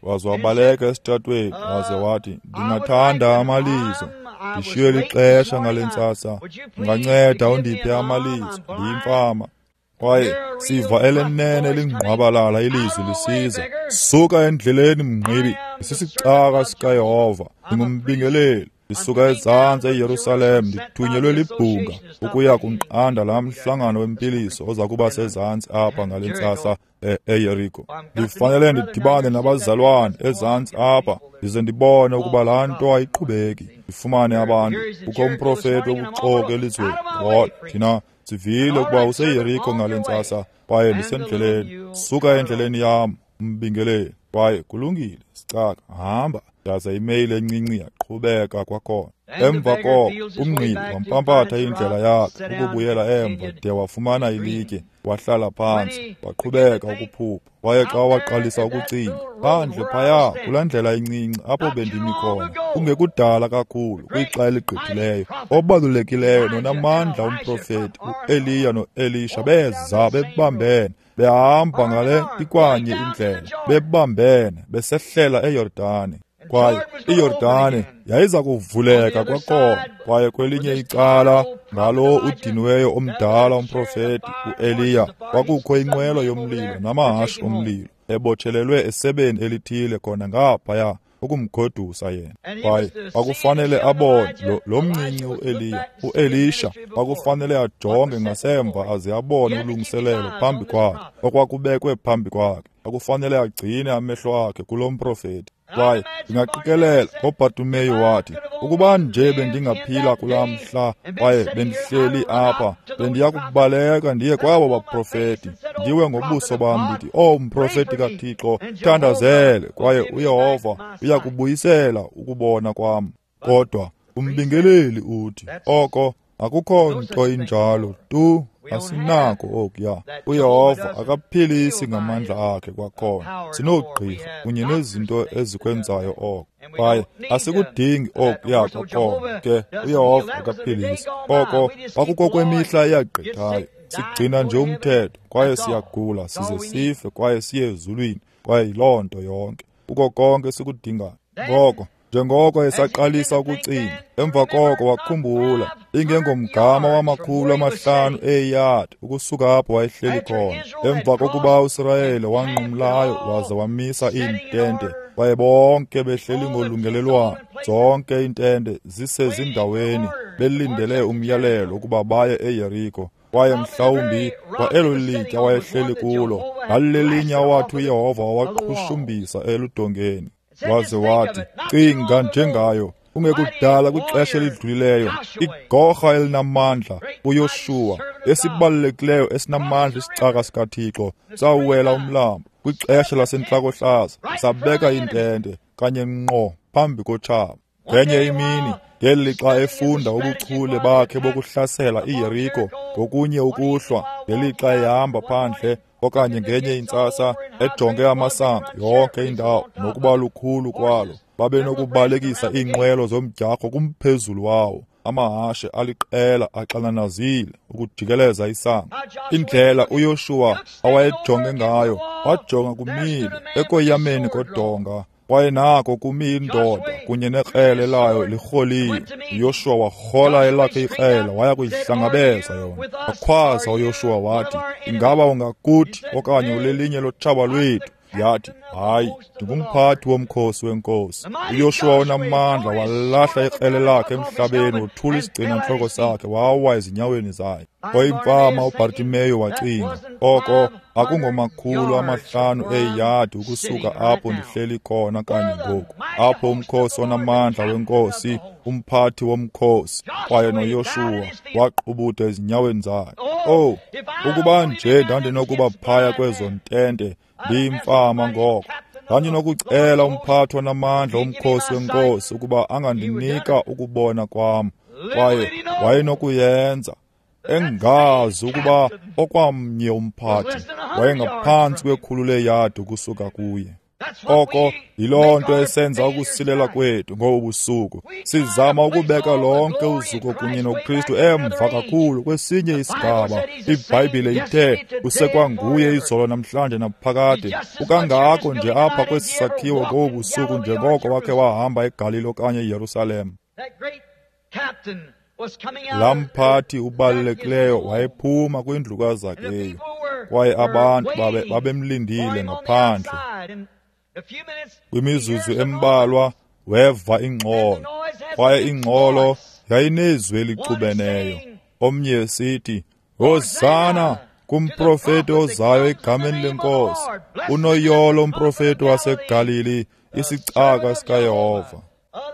Waze wabaleka esitratweni, waze wathi, ndingathanda amalizo, ndishiywe lixesha ngale ntsasa, unganceda undiphe amalizo, ndiyimfama. Kwaye siva elenene elingqwabalala ilizwi lisiza, suka endleleni mngqibi, ndisisicaka sikaYehova, ndingumbingeleli, ndisuka ezantsi eYerusalem, ndithunyelwe libhunga ukuya kunqanda laa mhlangano wempiliso oza kuba sezantsi apha ngale ntsasa eYeriko. Ndifanele ndidibane nabazalwane ezantsi apha, ndize ndibone ukuba laa nto ayiqhubeki, ndifumane abantu. Kukho umprofeti wobuxoki elizweni. Kodwa thina sivile ukuba useYeriko ngale ntsasa, kwaye ndisendleleni. Suka endleleni yam, umbingeleli. Kwaye kulungile, sicaka, hamba. Yaza imeyile encinci yaqhubeka kwakhona. Emva koko umngqibi wampampatha indlela yakhe ukubuyela emva de wafumana ilitye, wahlala phantsi, waqhubeka ukuphupha. Kwaye xa waqalisa ukucinga, phandle phaya kulaa ndlela incinci apho bendimi khona, kungekudala kakhulu kwixa eligqithileyo, obalulekileyo nonamandla umprofeti uEliya noElisha beza bebambene, behamba ngale ikwanye indlela, bebambene besehlela eYordane. Kwaye iYordane yayiza kuvuleka kwakhona. Kwaye kwelinye icala ngalo udiniweyo omdala umprofeti uEliya kwakukho inqwelo yomlilo namahashe omlilo ebotshelelwe esebeni elithile khona ngaphaya ukumgodusa yena. Kwaye kwakufanele abone lo, lo mncinci uEliya, uElisha kwakufanele ajonge ngasemva aze abone ulungiselelo phambi kwakhe, okwakubekwe phambi kwakhe. Kwakufanele agcine amehlo akhe kulo mprofeti. Kwaye ndingaqikelela ngoBartimeyu wathi, ukuba nje bendingaphila kulaa mhla kwaye bendihleli apha, bendiya kubaleka ndiye kwabo baprofeti, ndiwe ngobuso bam ndithi, oh mprofeti kaThixo, thandazele, kwaye uYehova uya kubuyisela ukubona kwam. Kodwa umbingeleli uthi, oko akukho nto injalo tu, asinako okuya. uYehova akaphilisi ngamandla akhe kwakhona. Sinoogqirha kunye nezinto ezikwenzayo oko, kwaye asikudingi okuya kwakhona. Ke uYehova akaphilisi. Oko kwakukokwemihla eyagqithayo. Sigcina nje umthetho, kwaye siyagula size sife, kwaye siye ezulwini, kwaye yiloo nto yonke. Kuko konke esikudingayo. Ngoko njengoko esaqalisa ukucinga, emva koko wakhumbula ingengomgama wamakhulu amahlanu eeyadi ukusuka apho wayehleli khona. Emva kokuba uSirayeli wanqumlayo waza wamisa iintente, kwaye bonke behleli ngolungelelwano, zonke iintente zisezindaweni, belindele umyalelo ukuba baye eYeriko. Kwaye mhlawumbi kwa elo litya wayehleli kulo lalilelinye awathi uYehova wawaqhushumbisa eludongeni. Waze wathi, cinga njengayo, kungekudala kwixesha elidlulileyo, igorha elinamandla uYoshuwa, esibalulekileyo esinamandla isicaka sikaThixo, sawuwela umlambo kwixesha lasentlakohlaza, sabeka intente kanye ngqo phambi kotshaba. Ngenye imini, ngelixa efunda ubuchule bakhe bokuhlasela iYeriko ngokunye ukuhlwa, ngelixa ehamba phandle okanye ngenye intsasa ejonge amasango yonke indawo nokuba lukhulu kwalo, babenokubalekisa iinqwelo zomdyarho kumphezulu wawo, amahashe aliqela axananazile ukujikeleza isango. Indlela uYoshuwa awayejonge ngayo, wajonga kumile ekoyameni kodonga, kwaye nako kumi indoda kunye nekrele layo lirholile. uYoshuwa warhola elakhe ikrele waya kuyihlangabeza yona. Wakhwaza uYoshuwa wathi, ingaba ungakuthi okanye ulelinye lotshaba lwethu? Yathi, hayi, ndingumphathi womkhosi wenkosi. uYoshuwa onamandla walahla ikrele lakhe emhlabeni, wothula isigcina-ntloko sakhe, wawa ezinyaweni zayo. Oyimfama uBhartimeyo wacinga, oko akungomakhulu amahlanu eeyadi ukusuka apho ndihleli khona kanye ngoku, apho umkhosi onamandla wenkosi, umphathi womkhosi, kwaye noYoshuwa waqubuda ezinyaweni zakhe. Oh, ukuba nje ndandinokuba phaya kwezo ntente ndiyimfama ngoko, ndandinokucela umphathi onamandla womkhosi wenkosi ukuba angandinika ukubona kwam, kwaye wayenokuyenza, engazi ukuba okwamnye umphathi wayengaphantsi kwekhulu leeyadi ukusuka kuye. Oko yiloo nto esenza ukusilela kwethu ngobu busuku. Sizama ukubeka lonke uzuko kunye noKristu emva kakhulu kwesinye isigaba. IBhayibhile ithe usekwanguye izolo namhlanje naphakade. Ukangako nje apha kwesi sakhiwo ngobu busuku njengoko wakhe wahamba eGalili okanye eYerusalem. Laa mphathi ubalulekileyo wayephuma kwindlu kaZakeyu, kwaye abantu babe babemlindile ngaphandle. Kwimizuzu embalwa weva ingxolo, kwaye ingxolo yayinezwi elixubeneyo. Omnye esithi, Hosana kumprofeti ozayo egameni lenkosi, unoyolo umprofeti waseGalili, isicaka sikaYehova.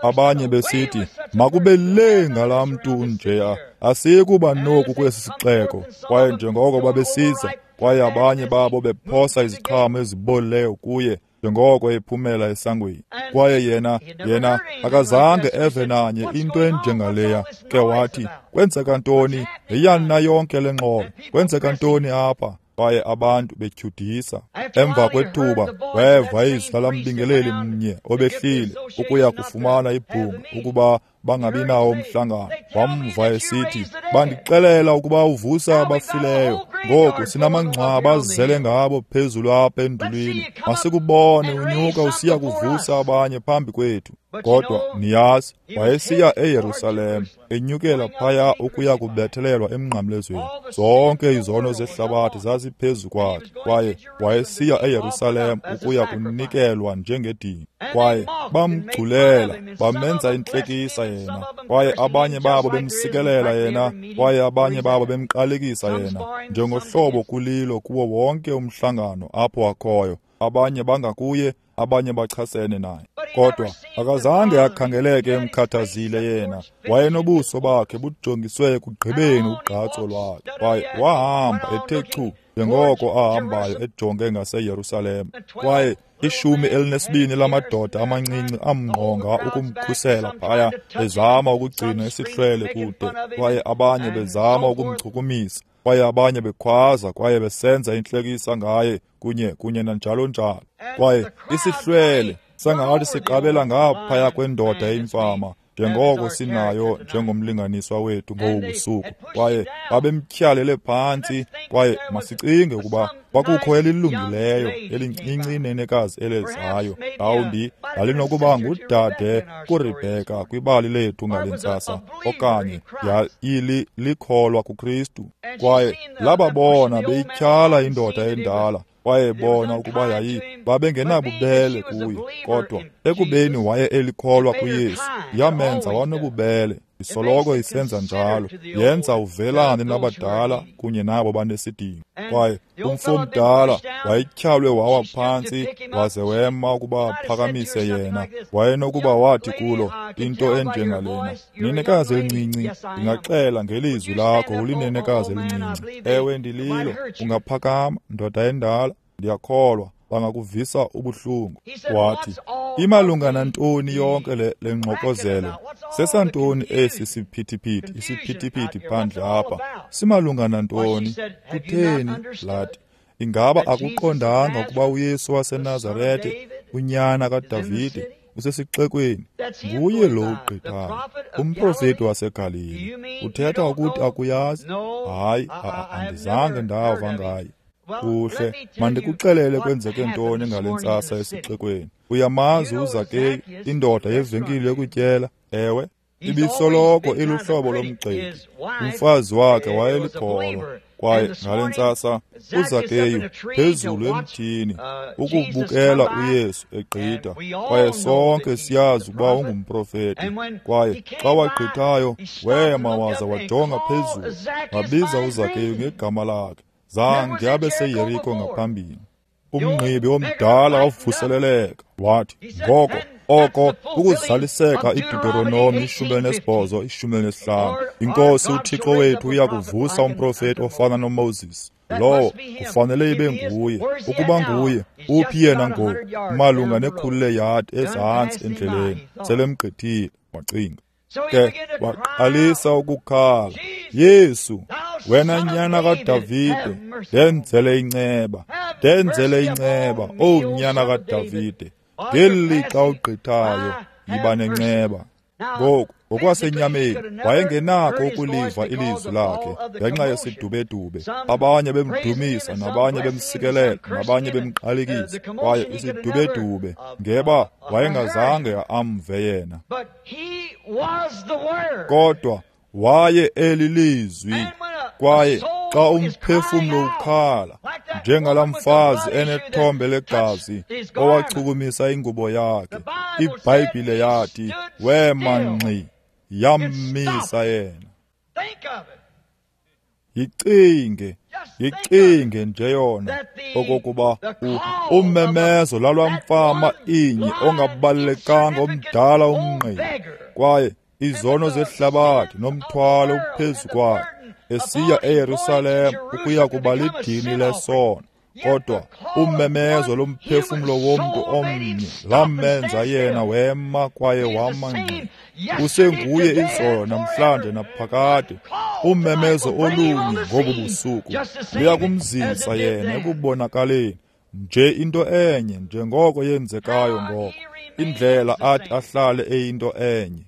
Abanye besithi, makube le ngalaa mntu unjeya, asiyikuba noku kwesi sixeko. Kwaye njengoko babesiza, kwaye abanye babo bephosa iziqhamo ezibolileyo kuye njengoko ephumela esangweni. Kwaye yena yena akazange eve nanye into enjengaleya. Ke wathi, kwenzeka ntoni? Yiyani na yonke le ngxolo? Kwenzeka ntoni apha? Kwaye abantu betyhudisa. Emva kwethuba weva izwi lalambingeleli mnye obehlile ukuya kufumana ibhunga ukuba bangabi nawo umhlangano. Wamva esithi, bandixelela ukuba uvusa abafileyo. Ngoku sinamangcwaba azele ngabo phezulu apha endulwini. Masikubone unyuka usiya kuvusa abanye phambi kwethu. Kodwa niyazi, wayesiya eYerusalem, enyukela phaya ukuya kubethelelwa emnqamlezweni. Zonke izono zehlabathi zaziphezu kwakhe, kwaye wayesiya eYerusalem ukuya kunikelwa njengedini. Kwaye bamgculela, bamenza intlekisa yena, kwaye abanye babo bemsikelela yena, kwaye abanye babo bemqalekisa yena, njengohlobo kulilo kuwo wonke umhlangano apho akhoyo. Abanye bangakuye, abanye bachasene naye. Kodwa akazange akhangeleke emkhathazile yena. Wayenobuso bakhe bujongiswe ekugqibeni ugqatso lwakhe, kwaye wahamba ethe chu njengoko ahambayo ejonge ngaseYerusalem. Kwaye ishumi elinesibini lamadoda amancinci amngqonga ukumkhusela phaya, bezama ukugcina isihlwele kude, kwaye abanye bezama ukumchukumisa, kwaye abanye bekhwaza kwaye besenza intlekisa ngaye kunye kunye nanjalo njalo. Kwaye isihlwele sangathi siqabela ngaphaya kwendoda eyimfama, njengoko sinayo njengomlinganiswa wethu ngobu busuku. Kwaye babemtyhalele phantsi, kwaye masicinge ukuba kwakukho elilungileyo elincinci inenekazi elezayo, mhlawumbi lalinokuba ngudade kuRebheka kwibali lethu ngale ntsasa, okanye yayili likholwa kuKristu. Kwaye lababona beyityhala indoda endala, kwaye bona ukuba yayi babengenabubele kuye, kodwa ekubeni waye elikholwa kuYesu, yamenza wanobubele. Isoloko isenza njalo, yenza uvelane nabadala kunye nabo banesidingo. Kwaye umfo omdala wayetyhalwe wawa phantsi waze wema ukuba aphakamise yena. Wayenokuba wathi kulo into enjengalena, nenekazi elincinci, ndingaxela ngelizwi lakho ulinenekazi elincinci. Ewe, ndililo. Ungaphakama, ndoda endala, ndiyakholwa bangakuvisa ubuhlungu. Wathi, imalunga nantoni yonke le, le ngxokozelo? Sesantoni esi siphithiphithi, isiphithiphithi phandle apha? Simalunga nantoni? Kutheni? Lathi, ingaba akuqondanga ukuba uYesu waseNazarete, unyana kaDavide, usesixekweni? Nguye lo ugqithayo, umprofeti waseGalili. Uthetha ukuthi akuyazi? Hayi, andizange ndava ngaye. Kuhle, mandikuxelele kwenzeke ntoni ngale ntsasa esixekweni. Uyamazi uZakeyu, indoda yevenkile yokutyela? Ewe, ibisoloko iluhlobo lomgxeki. Umfazi wakhe wayelikholwa. Kwaye ngale ntsasa uZakeyu phezulu emthini ukubukela uYesu egqitha. Kwaye sonke siyazi ukuba ungumprofeti. Kwaye xa wagqithayo wema waza wajonga phezulu, wabiza uZakeyu ngegama lakhe. Zange abe seYeriko ngaphambili. Umngqibi omdala wavuseleleka wathi, ngoko oko ukuzaliseka iDuteronomi ishumi elinesibhozo ishumi elinesihlanu. INkosi uThixo wethu uya kuvusa umprofeti ofana noMoses. Lowo kufanele ibe nguye. Ukuba nguye, uphi yena ngoku? Malunga nekhulu leyadi ezantsi endleleni. Selemgqithile, wacinga. Ke waqalisa ukukhala, Yesu, wena nyana kaDavide, ndenzele inceba, ndenzele inceba, owu nyana kaDavide. Ngeli lixa ugqithayo, yiba nenceba. Ngoku, ngokwasenyameni, wayengenakho ukuliva ilizwi lakhe ngenxa yesidubedube. Abanye bemdumisa, nabanye bemsikelela, nabanye bemqalekisa. Kwaye isidubedube ngeba wayengazange amve yena. Kodwa waye elilizwi. Kwaye xa umphefumlo ukhala, njengalaa mfazi enethombe legazi owachukumisa ingubo yakhe, iBhayibhile yathi wema ngxi, yammisa yena. Yicinge, yicinge nje yona okokuba ummemezo lalwamfama inye ongabalulekanga omdala umngqibi, kwaye izono zehlabathi nomthwalo uphezu kwakhe, esiya eYerusalem ukuya kuba lidini lesono. Kodwa ummemezo lomphefumlo womntu omnye lamenza yena wema kwaye wama ngxi. Usenguye izolo namhlanje naphakade. Ummemezo olunye ngobu busuku luya kumzisa yena ekubonakaleni nje into enye njengoko yenzekayo ngoko, indlela athi ahlale eyinto enye.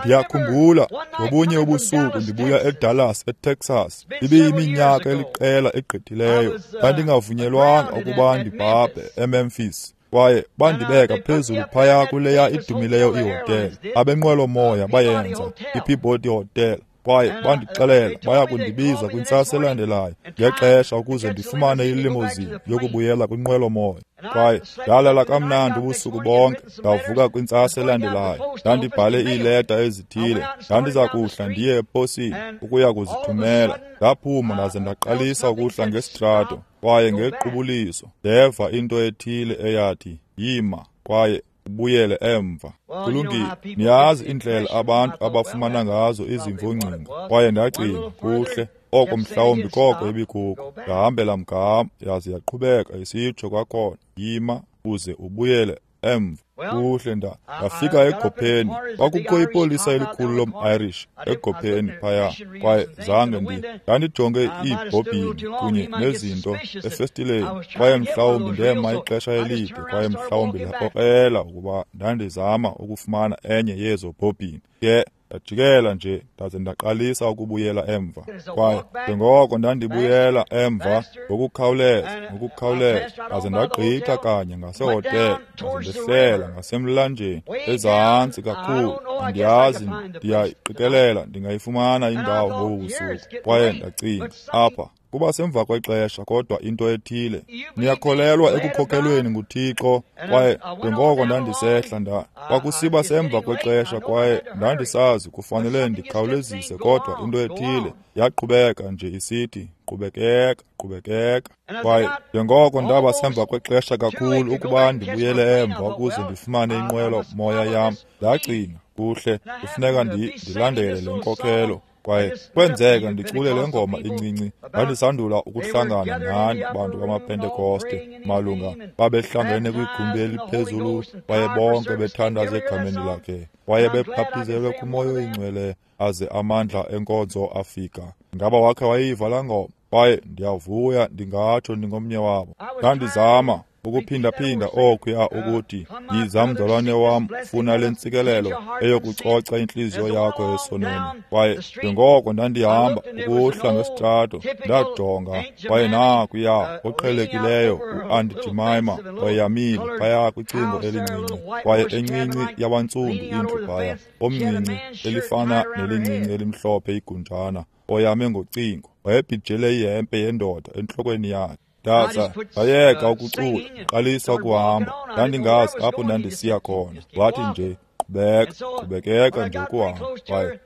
Ndiyakhumbula ngobunye ubusuku ndibuya eDallas, eTexas. Ibiyiminyaka eliqela egqithileyo. Ndandingavunyelwanga ukuba ndibhabhe eMemphis. Kwaye bandibeka phezulu phaya kuleya idumileyo ihotele. Abenqwelomoya bayenza, iPeabody Hotel. Kwaye bandixelela baya kundibiza kwintsasa elandelayo ngexesha ukuze ndifumane ilimozini yokubuyela kwinqwelomoya. Kwaye ndalala kamnandi ubusuku bonke, ndavuka kwintsasa elandelayo. Ndandibhale iileta ezithile, ndandiza kuhla ndiye eposini ukuya kuzithumela. Ndaphuma ndaze ndaqalisa ukuhla ngesitrato, kwaye ngequbuliso ndeva into ethile eyathi, yima kwaye ubuyele emva. Kulungile, niyazi indlela abantu abafumana ngazo izimvo-ngcinga. Kwaye ndacinga, kuhle, oko mhlawumbi koko ibikuko. Ndahambela mgama, yaze yaqhubeka isitsho kwakhona, yima uze ubuyele emva. Kuhle, ndafika egopheni. Kwakukho ipolisa elikhulu lom-Irish egopheni phaya, kwaye zange ndi ndandijonge iibhobhini kunye nezinto efestileni, kwaye mhlawumbi ndema ixesha elide, kwaye mhlawumbi ndakrokrela ukuba ndandizama ukufumana enye yezo bhobhini. Ke ndajikela nje ndaze ndaqalisa ukubuyela emva. Kwaye njengoko ndandibuyela emva ngokukhawuleza, ngokukhawuleza, ndaze ndagqitha kanye ngasehotele, ndaze ndehlela ngasemlanjeni ezantsi kakhulu. Andiyazi, ndiyayiqikelela ndingayifumana indawo ngobu busuku. Kwaye ndacinga, apha Kuba semva kwexesha, kodwa into ethile. Niyakholelwa ekukhokelweni nguThixo, kwaye njengoko ndandisehla nda kwakusiba semva kwexesha, kwaye ndandisazi kufanele ndikhawulezise, kodwa into ethile yaqhubeka nje isithi qhubekeka, qhubekeka. Kwaye njengoko ndaba semva kwexesha kakhulu ukuba ndibuyele emva ukuze ndifumane inqwelo moya yam, ndacinga, kuhle, kufuneka ndilandele le nkokhelo. Kwaye kwenzeka ndicule le ngoma incinci. Ndandisandula ukuhlangana nani bantu bamaPentekoste malunga babehlangene kwigumbi eliphezulu, kwaye bonke bethandaza egameni lakhe, kwaye bebhaptizelwe kuMoya oyiNgcwele aze amandla enkonzo afika. Ngaba wakhe wayiva laa ngoma? Kwaye ndiyavuya ndingatsho ndingomnye wabo. Ndandizama ukuphindaphinda okuya ukuthi, yiza mzalwane wam, funa le ntsikelelo eyokucoca intliziyo yakho esonweni. Kwaye njengoko ndandihamba ukuhla ngesitrato, ndajonga, kwaye nakuya oqhelekileyo uAunt Jemima wayamile phaya kwicingo elincinci, kwaye encinci yabantsundu indlu phaya, omncinci elifana nelincinci elimhlophe igunjana, oyame ngocingo, wayebhijele ihempe yendoda entlokweni yakhe. Ndaza ndayeka ukucula, qalisa ukuhamba. Ndandingazi apho ndandisiya khona. Wathi nje, qhubeka, qhubekeka nje ukuhamba. Kwaye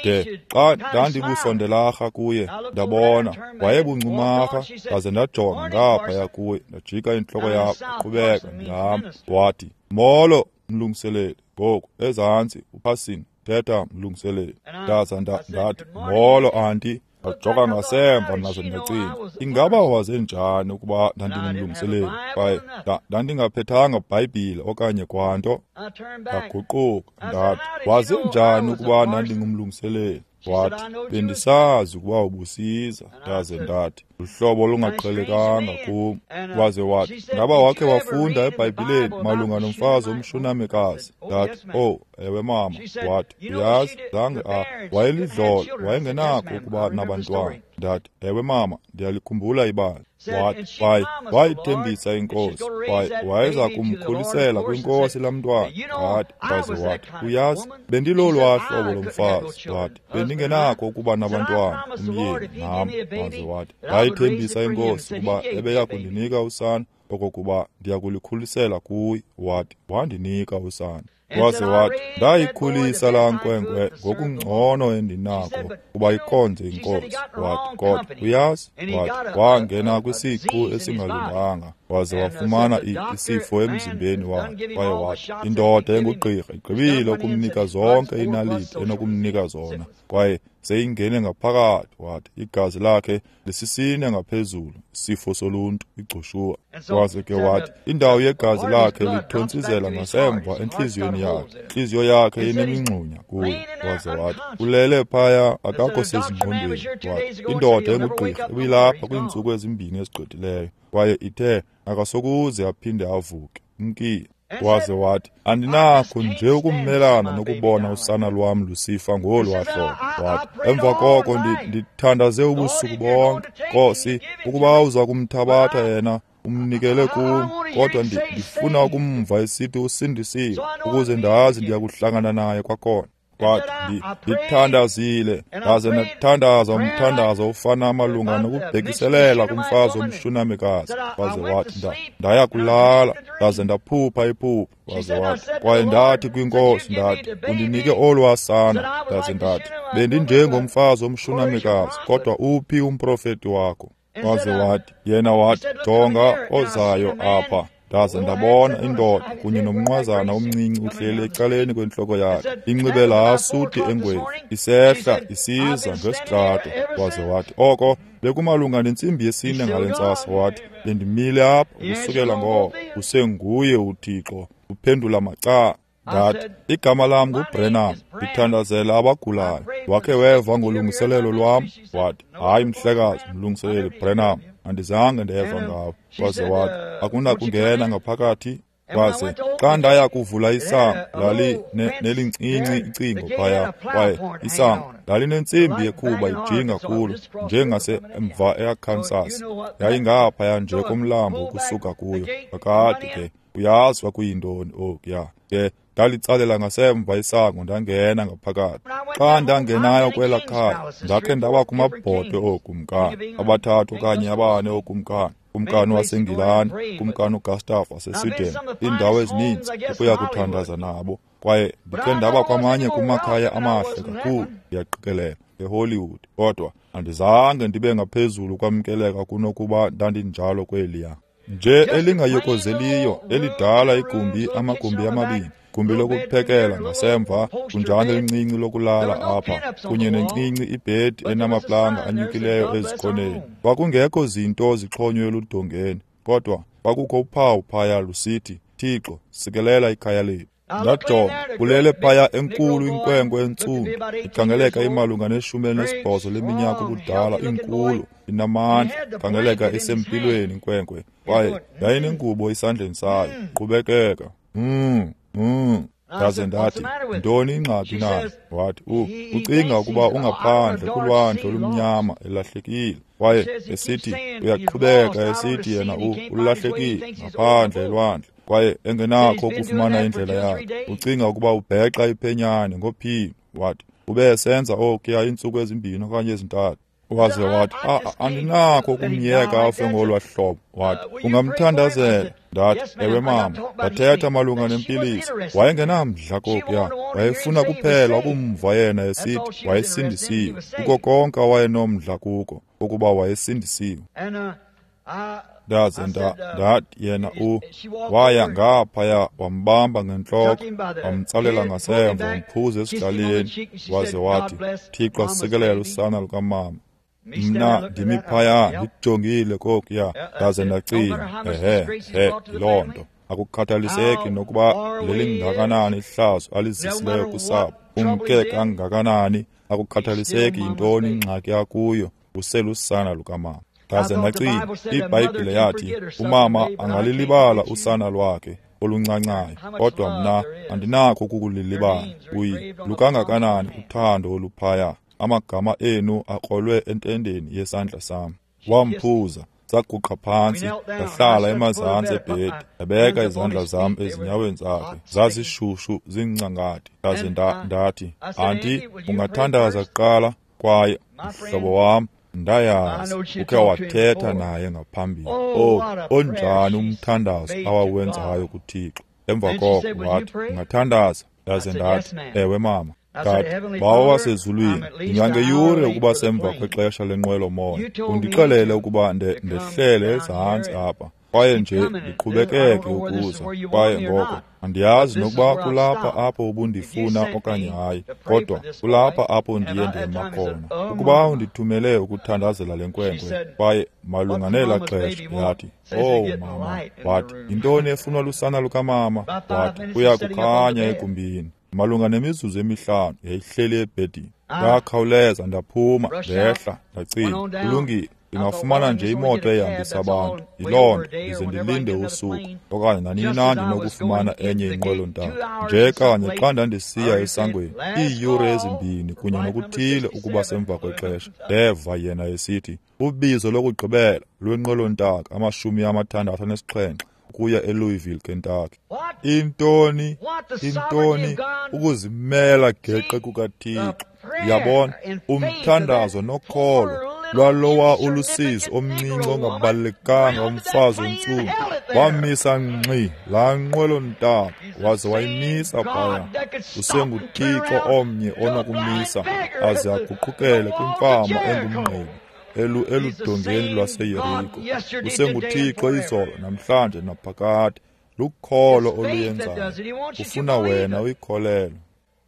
ke de xa ndandibusondelarha kuye, ndabona wayebuncumarha, ndaze ndajonga ngaphaya kuye, ndajika intloko yam, qhubeka ndihamba. Wathi, molo mlungiseleli. Ngoku ezantsi uphasini, thetha mlungiseleli. Ndaza ndathi, molo anti. Ndajonga ngasemva nazo ndacinga, ingaba waze njani ukuba ndandingumlungiseleli? Kwaye ndandingaphethanga Bhayibhile okanye kwanto. Ndaguquka ndathi, waze njani ukuba ndandingumlungiseleli? Wathi, bendisazi ukuba ubusiza. Ndaze ndathi, luhlobo olungaqhelekanga kum. Waze wathi, ngaba wakhe wafunda eBhayibhileni malunga nomfazi omshunamekazi? Ndathi, oh, ewe mama. Wathi, uyazi, zange a wayelidlolo, wayengenakho ukuba nabantwana. Ndathi, ewe mama, ndiyalikhumbula ibali. Wathi, kwaye wayithembisa inkosi, kwaye wayeza kumkhulisela kwinkosi laa mntwana. Ndathi, waze wathi, uyazi, bendilolwaa hlobo lomfazi. Wathi, bendingenakho ukuba nabantwana, umyeni nam. Waze wathi, wayithembisa inkosi ukuba ebeya kundinika usana, okokuba ndiyakulikhulisela kuye. Wathi, wandinika usana. Waze wathi, ndayikhulisa laa nkwenkwe ngokungcono endinako kuba ikhonze inkosi. Wathi, kodwa uyazi, wathi, wangena kwisiqu esingalunganga, waze wafumana isifo emzimbeni wakhe. Kwaye wathi, indoda engugqirha igqibile ukumnika zonke iinaliti enokumnika zona, kwaye seyingene ngaphakathi. Wathi, igazi lakhe lisisine ngaphezulu, isifo soluntu, igcushuwa. Waze ke wathi, indawo yegazi lakhe lithontsizela ngasemva entliziyweni yakhe, intliziyo yakhe inemingxunya kuyo. Waze wathi, ulele phaya, akakho sezingqondweni. Wathi, indoda engugqirha ibilapha kwiintsuku ezimbini ezigqithileyo, kwaye ithe akasokuze aphinde avuke, umkile. Waze wathi, andinakho nje ukumelana nokubona usana lwam lusifa ngolwaa hlobo. Wathi, emva koko ndithandaze ubusuku bonke, Nkosi, ukuba uza kumthabatha yena umnikele kum, kodwa ndifuna ukumva esithi usindisiwe, ukuze ndazi ndiyakuhlangana naye kwakhona. Wathi, ndithandazile, ndaze ndathandaza umthandazo ofana malunga nokubhekiselela kumfazi omshunamekazi. Waze wathi, ndaya kulala, ndaze ndaphupha iphupha. Waze wathi, kwaye ndathi kwinkosi, ndathi, undinike olwaa sana. Ndaze ndathi, bendinjengomfazi omshunamekazi, kodwa uphi umprofeti wakho? Waze wathi, yena wathi, jonga ozayo apha. Ndaze ndabona indoda kunye nomnqwazana omncinci uhleli ecaleni kwentloko yakhe, inxibe laa suti engwevu, isehla isiza ngesitrato. Waze wathi, oko bekumalunga nentsimbi yesine ngale ntsasa. Wathi, bendimile apha ukusukela ngoko, usenguye uThixo, uphendula macala. Ndathi, igama lam nguBrenham, ndithandazela abagulayo. Wakhe weva ngolungiselelo lwam? Wathi, hayi mhlekazi, mlungiseleli Brenham, andizange ndeva ngawe. Waze wathi, akunakungena ngaphakathi? Waze xa ndaya kuvula isango, lali nelincinci icingo phaya, kwaye isango lalinentsimbi yekhuba ijinga kulo, njengasemva eArkansas. Yayingaphaya nje komlambo ukusuka kuyo. Kakade ke, uyazi kwakuyintoni okuya. Ke Ndalitsalela ngasemva isango ndangena ngaphakathi. Xa ndangenayo kwela khaya, ndakhe ndaba kumabhodwe ookumkani, abathathu okanye abane ookumkani. Kumkani waseNgilani, kumkani uGustav waseSweden, iindawo ezininzi ukuya kuthandaza nabo. Kwaye ndikhe ndaba kwamanye kumakhaya amahle kakhulu, ndiyaqikelela, eHollywood. Kodwa andizange ndibe ngaphezulu kwamkeleka kunokuba ndandinjalo kweliya. Nje elingayokozeliyo, elidala igumbi, amagumbi amabini, gumbi lokuphekela ngasemva, kunjalo elincinci lokulala apha, kunye nencinci ibhedi enamaplanga anyukileyo ezikoneni. Kwakungekho zinto zixhonywe eludongeni, kodwa kwakukho uphawu phaya lusithi, Thixo, sikelela ikhaya lethu. Ndajonga, kulele phaya enkulu inkwenkwe entsundu, ikhangeleka imalunga neshumi elinesibhozo leminyaka ubudala, inkulu, inamandla, ikhangeleka isempilweni inkwenkwe, kwaye yayinengubo esandleni sayo, qhubekeka. Mm, mm. Ndaze ndathi, ntoni ingxaki na? Wathi, u ucinga ukuba ungaphandle kulwandle olumnyama elahlekile. Kwaye esithi uyaqhubeka esithi yena u ulahlekile ngaphandle elwandle, kwaye engenakho ukufumana indlela yakhe. Ucinga ukuba ubhexa iphenyane ngophini. Wathi, ube esenza okuya iintsuku ezimbini okanye ezintathu. Waze wathi, andinakho ukumyeka afe ngolwa hlobo. Wathi, ungamthandazela. Ndathi, ewe mama. Ndathetha malunga nempiliso. Wayengenamdla kokuya, wayefuna kuphela ukumva yena esithi wayesindisiwe. Kuko konke awayenomdla kuko, ukuba wayesindisiwe. Ndaze ndathi yena u waya ngaphaya, wambamba ngentloko, wamtsalela ngasemva, wamphuza esidlaleni, waze wathi, Thixo sikelela usana lukamama. Mna ndimi phaya ndijongile kokuya, ndaze ndacinga, ehe, he, yiloo nto. Akukhathaliseki nokuba lelingakanani ihlazo alizisileyo kusapho, umke kangakanani, akukhathaliseki yintoni ingxaki yakuyo, uselusana lukamama. Ndaze ndacinga, iBhayibhile yathi umama angalilibala usana lwakhe oluncancayo, kodwa mna andinakho ukukulilibala. Uyi lukangakanani uthando oluphaya, amagama enu akrolwe entendeni yesandla sam. Wamphuza, saguqa phantsi, ndahlala emazantsi ebhedi, ndabeka izandla zam ezinyaweni zakhe, zazishushu zincangati. Ndaze ndathi, anti, ungathandaza kuqala? Kwaye mhlobo wam, ndayazi ukhe wathetha naye ngaphambili. Oh, onjani umthandazo awawenzayo kuThixo. Emva koko wathi, ungathandaza? Ndaze ndathi, ewe mama. Ndathi, Bawo wasezulwini, ndingangeyure ukuba semva kwexesha lenqwelo-moya. Undixelele ukuba ndehlele ezantsi apha, kwaye nje ndiqhubekeke ukuza. Kwaye ngoko andiyazi nokuba kulapha apho ubundifuna okanye hayi, kodwa kulapha apho ndiye ndema khona. Ukuba undithumele ukuthandazela le nkwenkwe, kwaye malunga nelaa xesha, yathi, oh mama, wathi, yintoni efunwa lusana lukamama? Wathi, kuya kukhanya egumbini. Malunga nemizuzu emihlanu yayihleli ebhedini. Ndakhawuleza ndaphuma, ndehla, ndacinga, kulungile, ndingafumana nje imoto ehambisa abantu. Yiloo nto, ndize ndilinde usuku okanye nanini na ndinokufumana enye inqwelo-ntaka. Nje kanye xa ndandisiya esangweni, iiyure ezimbini kunye nokuthile ukuba semva kwexesha, ndeva yena esithi, ubizo lokugqibela lwenqwelo-ntaka amashumi amathandathu anesixhenxe ukuya eLouisville, Kentucky. Intoni, intoni, ukuzimela geqe kukaThixo. Yabona, umthandazo nokholo lwalowa ulusizi omncinci ongabalulekanga umfazi ontsundu wamisa ngxi laa nqwelo-ntaka, waze wayimisa phaya. UsenguThixo omnye onokumisa aze aguqukele kwimfama engumngqibi elu eludongeni lwaseYeriko. UsenguThixo izolo, namhlanje, naphakade. Lukholo oluyenzayo, ufuna wena uyikholelwe.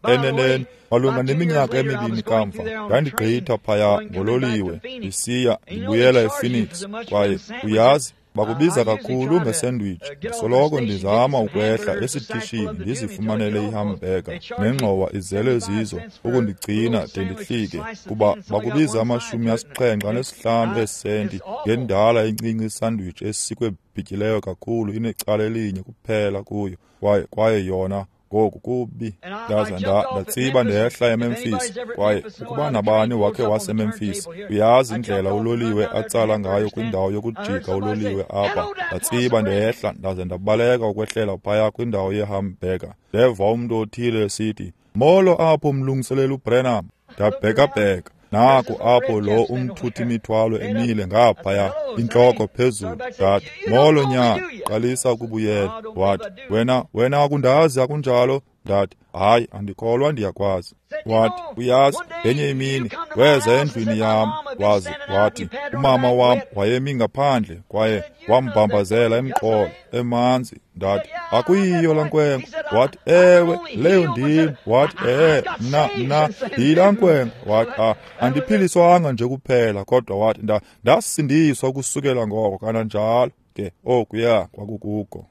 Eneneni, malunga neminyaka emibini kamva, ndandigqitha phaya ngololiwe ndisiya ndibuyela ePhoenix, kwaye uyazi, bakubiza kakhulu ngesandwich. Soloko ndizama ukwehla esitishini ndizifumanele ihambeka nengxowa izele zizo ukundigcina de ndihlike, kuba bakubiza amashumi asixhenxe anesihlanu eesenti ngendala encinci isandwich esikwe bhityileyo kakhulu inecala elinye kuphela kuyo, kwaye kwaye yona Ngoku kubi. Ndaza ndatsiba ndehla eMemphis, kwaye ukuba nabani wakhe waseMemphis, uyazi indlela uloliwe atsala ngayo kwindawo yokujika uloliwe apha. Ndatsiba ndehla ndaze ndabaleka ukwehlela phaya kwindawo yehamburger. Ndeva umntu othile esithi, "Molo apho mlungiseleli uBranham." Ndabhekabheka. Naku apho lo umthuthi mithwalo emile ngaphaya, intloko phezulu. Ndathi, "Molo nyana." Qalisa ukubuyela. Wathi, "Wena, wena akundazi akunjalo?" Ndathi, "Hayi, andikholwa ndiyakwazi." Wathi, "Uyazi, ngenye imini weza endlwini yam, wazi, wathi, umama wam wayemi ngaphandle kwaye wambambazela emqolo emanzi." Ndathi, "Akuyiyo laa nkwenkwe." Wathi, "Ewe, leyo ndim." Wathi, "Ehe, mna, mna ndiyilaa nkwenkwe." Wathi, "Ah, andiphiliswanga nje kuphela, kodwa wathi nda ndasindiswa ukusukela ngoko kananjalo." Ke okuya kwakukuko.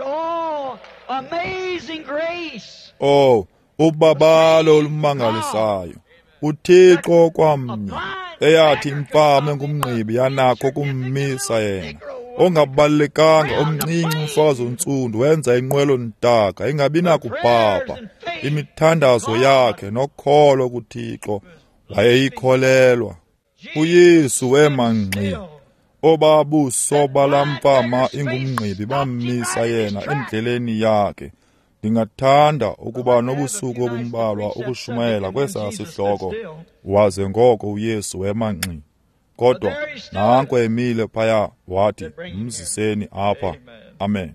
Oh, ubabalo olumangalisayo. UThixo kwamnye eyathi imfama engumngqibi yanakho kummisa yena. Ongabalulekanga omncinci umfazi ontsundu wenza inqwelo ntaka ingabi nakubhabha. Imithandazo yakhe nokholo kuThixo wayeyikholelwa. UYesu wema ngxi. Obabuso balamfama ingumngqibi bammisa yena endleleni yakhe. Ndingathanda ukuba nobusuku obumbalwa ukushumayela kwesaa sihloko. Waze ngoko uYesu wema ngxi. Kodwa nanko emile phaya, wathi, "Mziseni apha." Amen.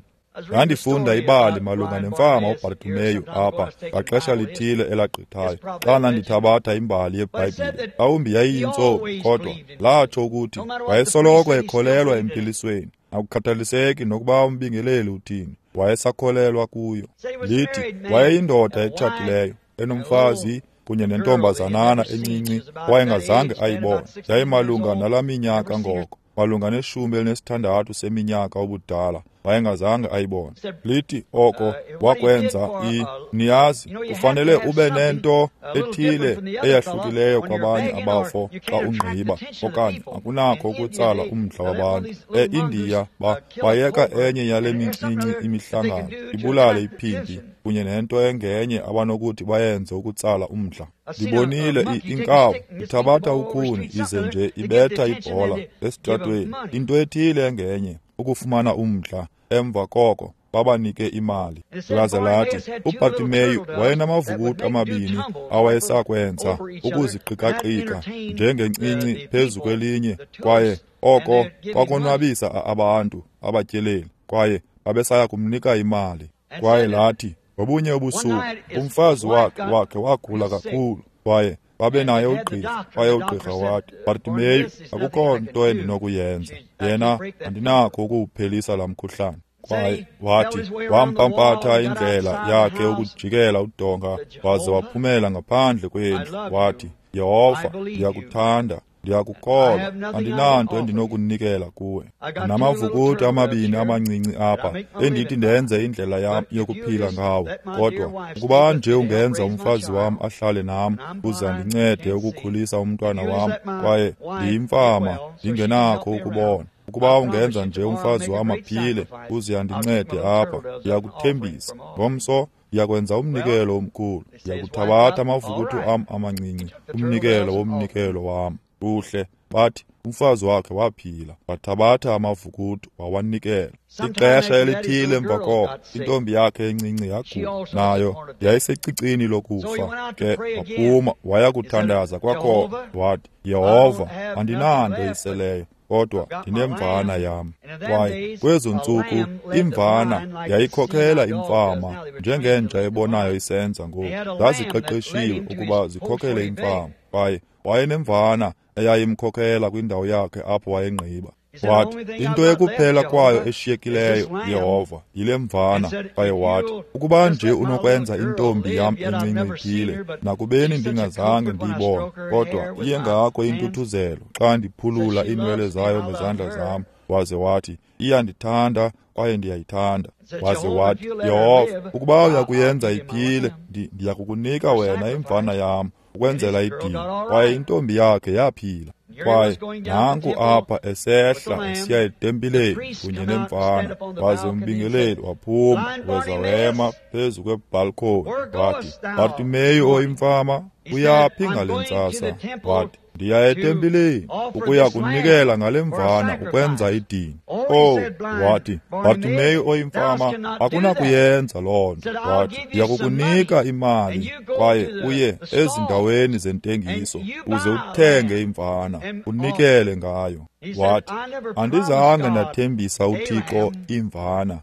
Ndandifunda ibali malunga nemfama uBartimeyu apha ngaxesha lithile elagqithayo, xa ndandithabatha imbali yeBhayibhile. Mhlawumbi yayiyintsomi, kodwa latsho ukuthi wayesoloko ekholelwa empilisweni, akukhathaliseki nokuba umbingeleli uthini, wayesakholelwa kuyo. Lithi wayeyindoda etshatileyo, enomfazi kunye nentombazanana encinci wayengazange ayibone. Yayimalunga nalaa minyaka ngoko, malunga neshumi elinesithandathu seminyaka ubudala, wayengazange ayibone. Lithi oko wakwenza i niyazi, kufanele ube nento ethile eyahlukileyo kwabanye abafo xa ungqiba, okanye akunakho ukutsala umdla wabantu. E-Indiya ba bayeka enye yale mincinci imihlangano ibulale iphimpi kunye nento engenye abanokuthi bayenze ukutsala umdla. Ndibonile inkawu ithabatha ukhuni ize nje ibetha ibhola esitratweni, into ethile engenye ukufumana umdla. Emva koko babanike imali. Laze lathi uBartimeyu wayenamavukuti amabini awayesakwenza ukuziqikaqika njengencinci phezu kwelinye, kwaye oko kwakonwabisa abantu abatyeleli, kwaye babesaya kumnika imali. Kwaye lathi ngobunye ubusuku umfazi wakhe wakhe wagula kakhulu, kwaye babe naye ugqirha. Kwaye ugqirha wathi, "Bartimeyu, akukho nto endinokuyenza. Yena andinakho ukuwuphelisa laa mkhuhlane." Kwaye wathi wampampatha indlela yakhe ukujikela udonga, waze waphumela ngaphandle kwendlu. Wathi, "Yehova, ndiyakuthanda, ndiyakukholwa, andinanto endinokunikela kuwe. Ndinamavukuti amabini amancinci apha endithi ndenze indlela yam yokuphila ngawo, kodwa ukuba nje ungenza umfazi wam ahlale nam uze andincede ukukhulisa umntwana wam, kwaye ndiyimfama ndingenakho ukubona. Ukuba ungenza nje umfazi wam aphile uze andincede apha, ndiyakuthembisa ngomso ndiyakwenza umnikelo omkhulu. Ndiyakuthabatha amavukuthi am amancinci, umnikelo womnikelo wam." Kuhle, bathi umfazi wakhe waphila, wathabatha amavukuti wawanikela. Ixesha elithile emva koko, intombi yakhe encinci yagula, nayo yayisecicini lokufa. Ke waphuma waya kuthandaza kwakhona. Wathi, "Yehova, andinanto iseleyo, kodwa ndinemvana yam." Kwaye kwezo ntsuku imvana yayikhokela imfama njengenja ebonayo isenza ngoku. Zaziqeqeshiwe ukuba zikhokele imfama, kwaye wayenemvana eyayimkhokhela kwindawo yakhe apho wayengqiba. Wathi, "Into ekuphela kwayo eshiyekileyo, Yehova, yile mvana." Kwaye wathi, "Ukuba nje unokwenza intombi yam encinci iphile, nakubeni ndingazange ndiyibone, kodwa iye ngako intuthuzelo xa ndiphulula iinwele zayo ngezandla zam." Waze wathi, "Iyandithanda kwaye ndiyayithanda." Waze wathi, "Yehova, ukuba uyakuyenza iphile, ndiyakukunika wena imvana yam ukwenzela idini." Kwaye intombi yakhe yaphila. Kwaye nanku apha esehla esiya etempileni kunye nemvana, waze umbingeleli waphuma weza wema phezu kwebhalkhoni wathi, Bartimeyu oyimfama, uyaphi ngale ntsasa? Wathi, ndiya etempileni ukuya kunikela ngale mvana ukwenza idini. Oh, wathi, Bartimeyu oyimfama, akunakuyenza loo nto. Wathi, ndiya kukunika imali kwaye uye ezindaweni zentengiso uze uthenge imvana unikele ngayo. Wathi, andizange ndathembisa uThixo imvana,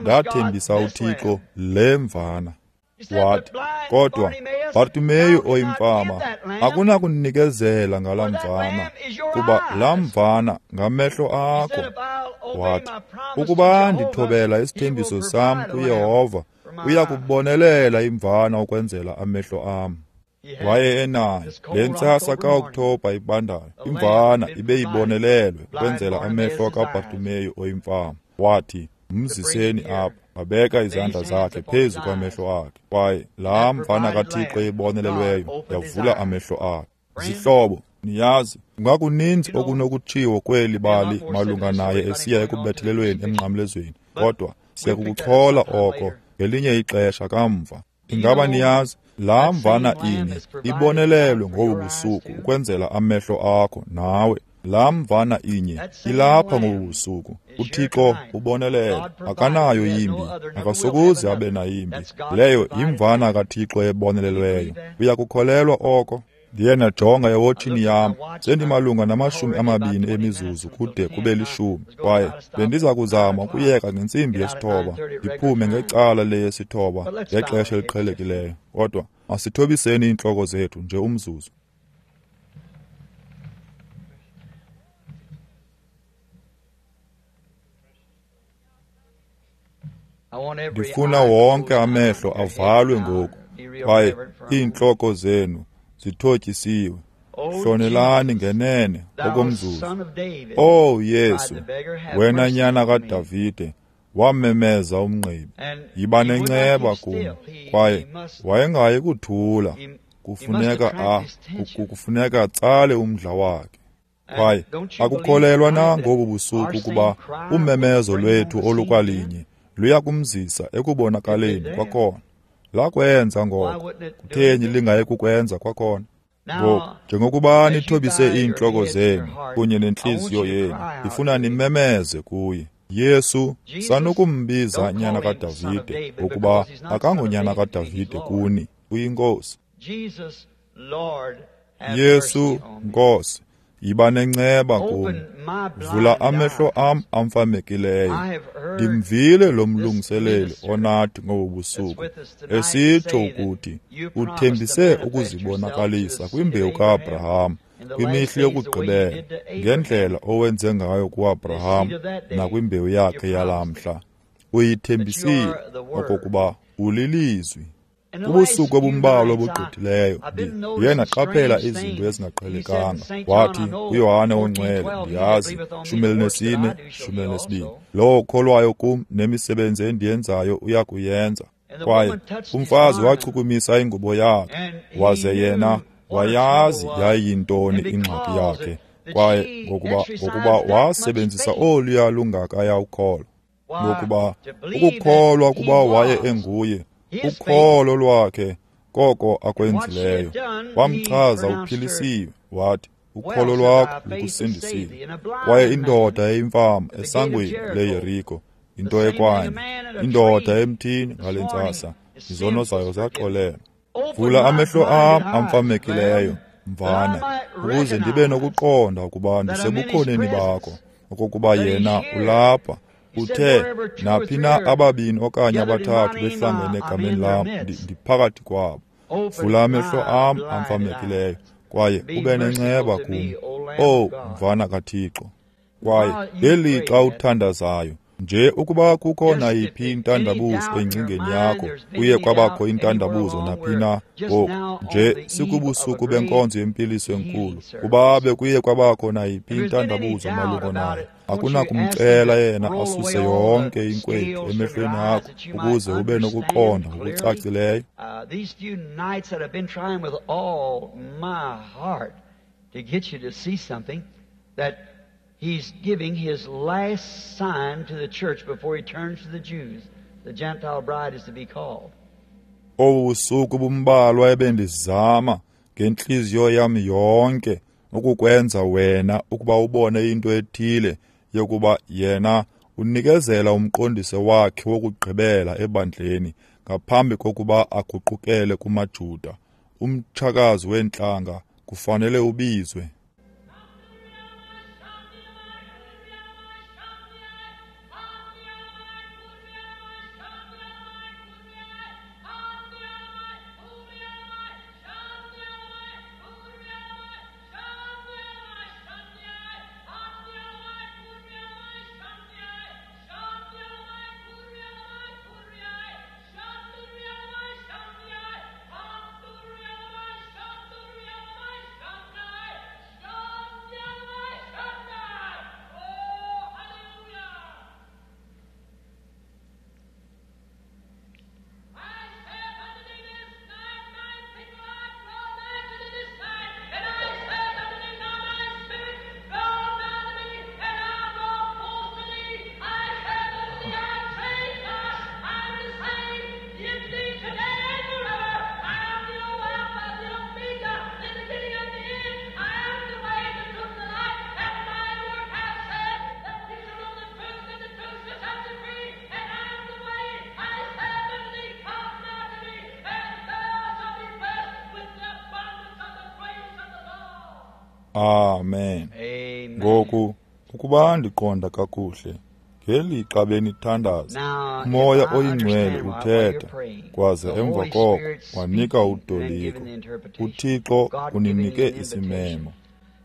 ndathembisa uThixo le mvana. Wathi, kodwa Bartimeyu oyimfama, akunakunikezela ngalaa mvana, kuba laa mvana ngamehlo akho. Wathi, ukuba ndithobela isithembiso sam kuYehova, uya kubonelela imvana ukwenzela amehlo am. Waye enayo le ntsasa kaOkthobha ibandayo, imvana ibe ibonelelwe ukwenzela amehlo kaBartimeyu oyimfama. Wathi, mziseni apha. Wabeka izandla zakhe phezu kwamehlo akhe, kwaye laa mvana kaThixo ibonelelweyo yavula amehlo akhe. Zihlobo, niyazi, kungakuninzi okunokutshiwo kweli bali malunga naye esiya ekubethelelweni emnqamlezweni, kodwa siyakukuchola oko ngelinye ixesha kamva. Ingaba niyazi, laa mvana inye ibonelelwe ngobu busuku ukwenzela amehlo akho nawe. Laa mvana inye ilapha ngobu busuku. uThixo ubonelele, akanayo yimbi, akasokuze abe nayimbi. Leyo yimvana kaThixo ebonelelweyo. Uyakukholelwa oko? Ndiye ndajonga ewotshini yam, sendimalunga namashumi amabini emizuzu kude kube lishumi, kwaye bendiza kuzama ukuyeka ngentsimbi yesithoba, ndiphume ngecala leyesithoba ngexesha eliqhelekileyo. Kodwa masithobiseni iintloko zethu nje umzuzu. Ndifuna wonke amehlo avalwe ngoku, kwaye iintloko zenu zithotyisiwe. Hlonelani ngenene okomzuzu. Oh Yesu, wena nyana kaDavide, wamemeza umngqibi, yiba nenceba kum. Kwaye wayengayi kuthula, kufuneka a kufuneka atsale umdla wakhe. Kwaye akukholelwa na ngobu busuku ukuba umemezo lwethu olukwalinye luya kumzisa ekubonakaleni kwakhona? Lakwenza ngoko, kutheni lingayi kukwenza kwakhona? Ngoku, njengokuba nithobise iintloko zenu kunye nentliziyo yenu, ndifuna nimemeze kuye. Yesu, sanukumbiza nyana kaDavide, ngokuba akangonyana kaDavide kuni, uyiNkosi. Yesu, Nkosi, yiba nenceba kum. Vula amehlo am amfamekileyo. Ndimvile lo mlungiseleli onathi ngobu busuku esitsho ukuthi uthembise ukuzibonakalisa kwimbewu kaAbraham kwimihla yokugqibela, ngendlela owenze ngayo kuAbraham nakwimbewu yakhe yalamhla. Uyithembisile okokuba ulilizwi. Kubusuku obumbalwa obugqithileyo ndiye ndaqaphela izinto ezingaqhelekanga. Wathi uYohane oNgcwele, ndiyazi, shumi elinesine, shumi elinesibini, lowo ukholwayo kum nemisebenzi endiyenzayo uya kuyenza. Kwaye umfazi wachukumisa ingubo yakhe, waze yena wayazi yayiyintoni ingxaki yakhe. Kwaye ngokuba ngokuba wasebenzisa oluya lungakaya ukholo, ngokuba ukukholwa kuba waye enguye, ukholo lwakhe koko akwenzileyo wamchaza uphilisiwe. Wathi, ukholo lwakho lukusindisile. Kwaye indoda eyimfama esangweni leYeriko, into ekwanye, indoda emthini ngale ntsasa, izono zayo zaxolelwa. Vula amehlo am amfamekileyo, mvana, ukuze ndibe nokuqonda ukuba ndisebukhoneni bakho, okokuba yena ulapha. Uthe, naphi na ababini okanye abathathu behlangene egameni lam, ndiphakathi kwabo. Vula amehlo am amfamekileyo, kwaye ube nenceba kum, owu mvana kaThixo. Kwaye ngelixa uthandazayo, nje ukuba kukho nayiphi intandabuzo engcingeni yakho, kuye kwabakho intandabuzo naphi na ngoku, nje sikubusuku benkonzo yempiliso enkulu, kuba bekuye kwabakho nayiphi intandabuzo malunga nayo, akunakumcela yena asuse yonke inkwethu emehlweni akho ukuze ube nokuqonda ngokucacileyo? These few nights that I've been trying with all my heart to get you to see something, that he's giving his last sign to the church before he turns to the Jews. The Gentile bride is to be called. Obu busuku bumbalwa ebendizama ngentliziyo yam yonke ukukwenza wena ukuba ubone into ethile yokuba yena unikezela umqondiso wakhe wokugqibela ebandleni ngaphambi kokuba aguqukele kumaJuda. Umtshakazi weentlanga kufanele ubizwe. Amen. Ngoku ukuba ndiqonda kakuhle ngelixa benithandaza, uMoya oyiNgcwele uthetha kwaze emva koko wanika utoliko. UThixo uninike isimemo.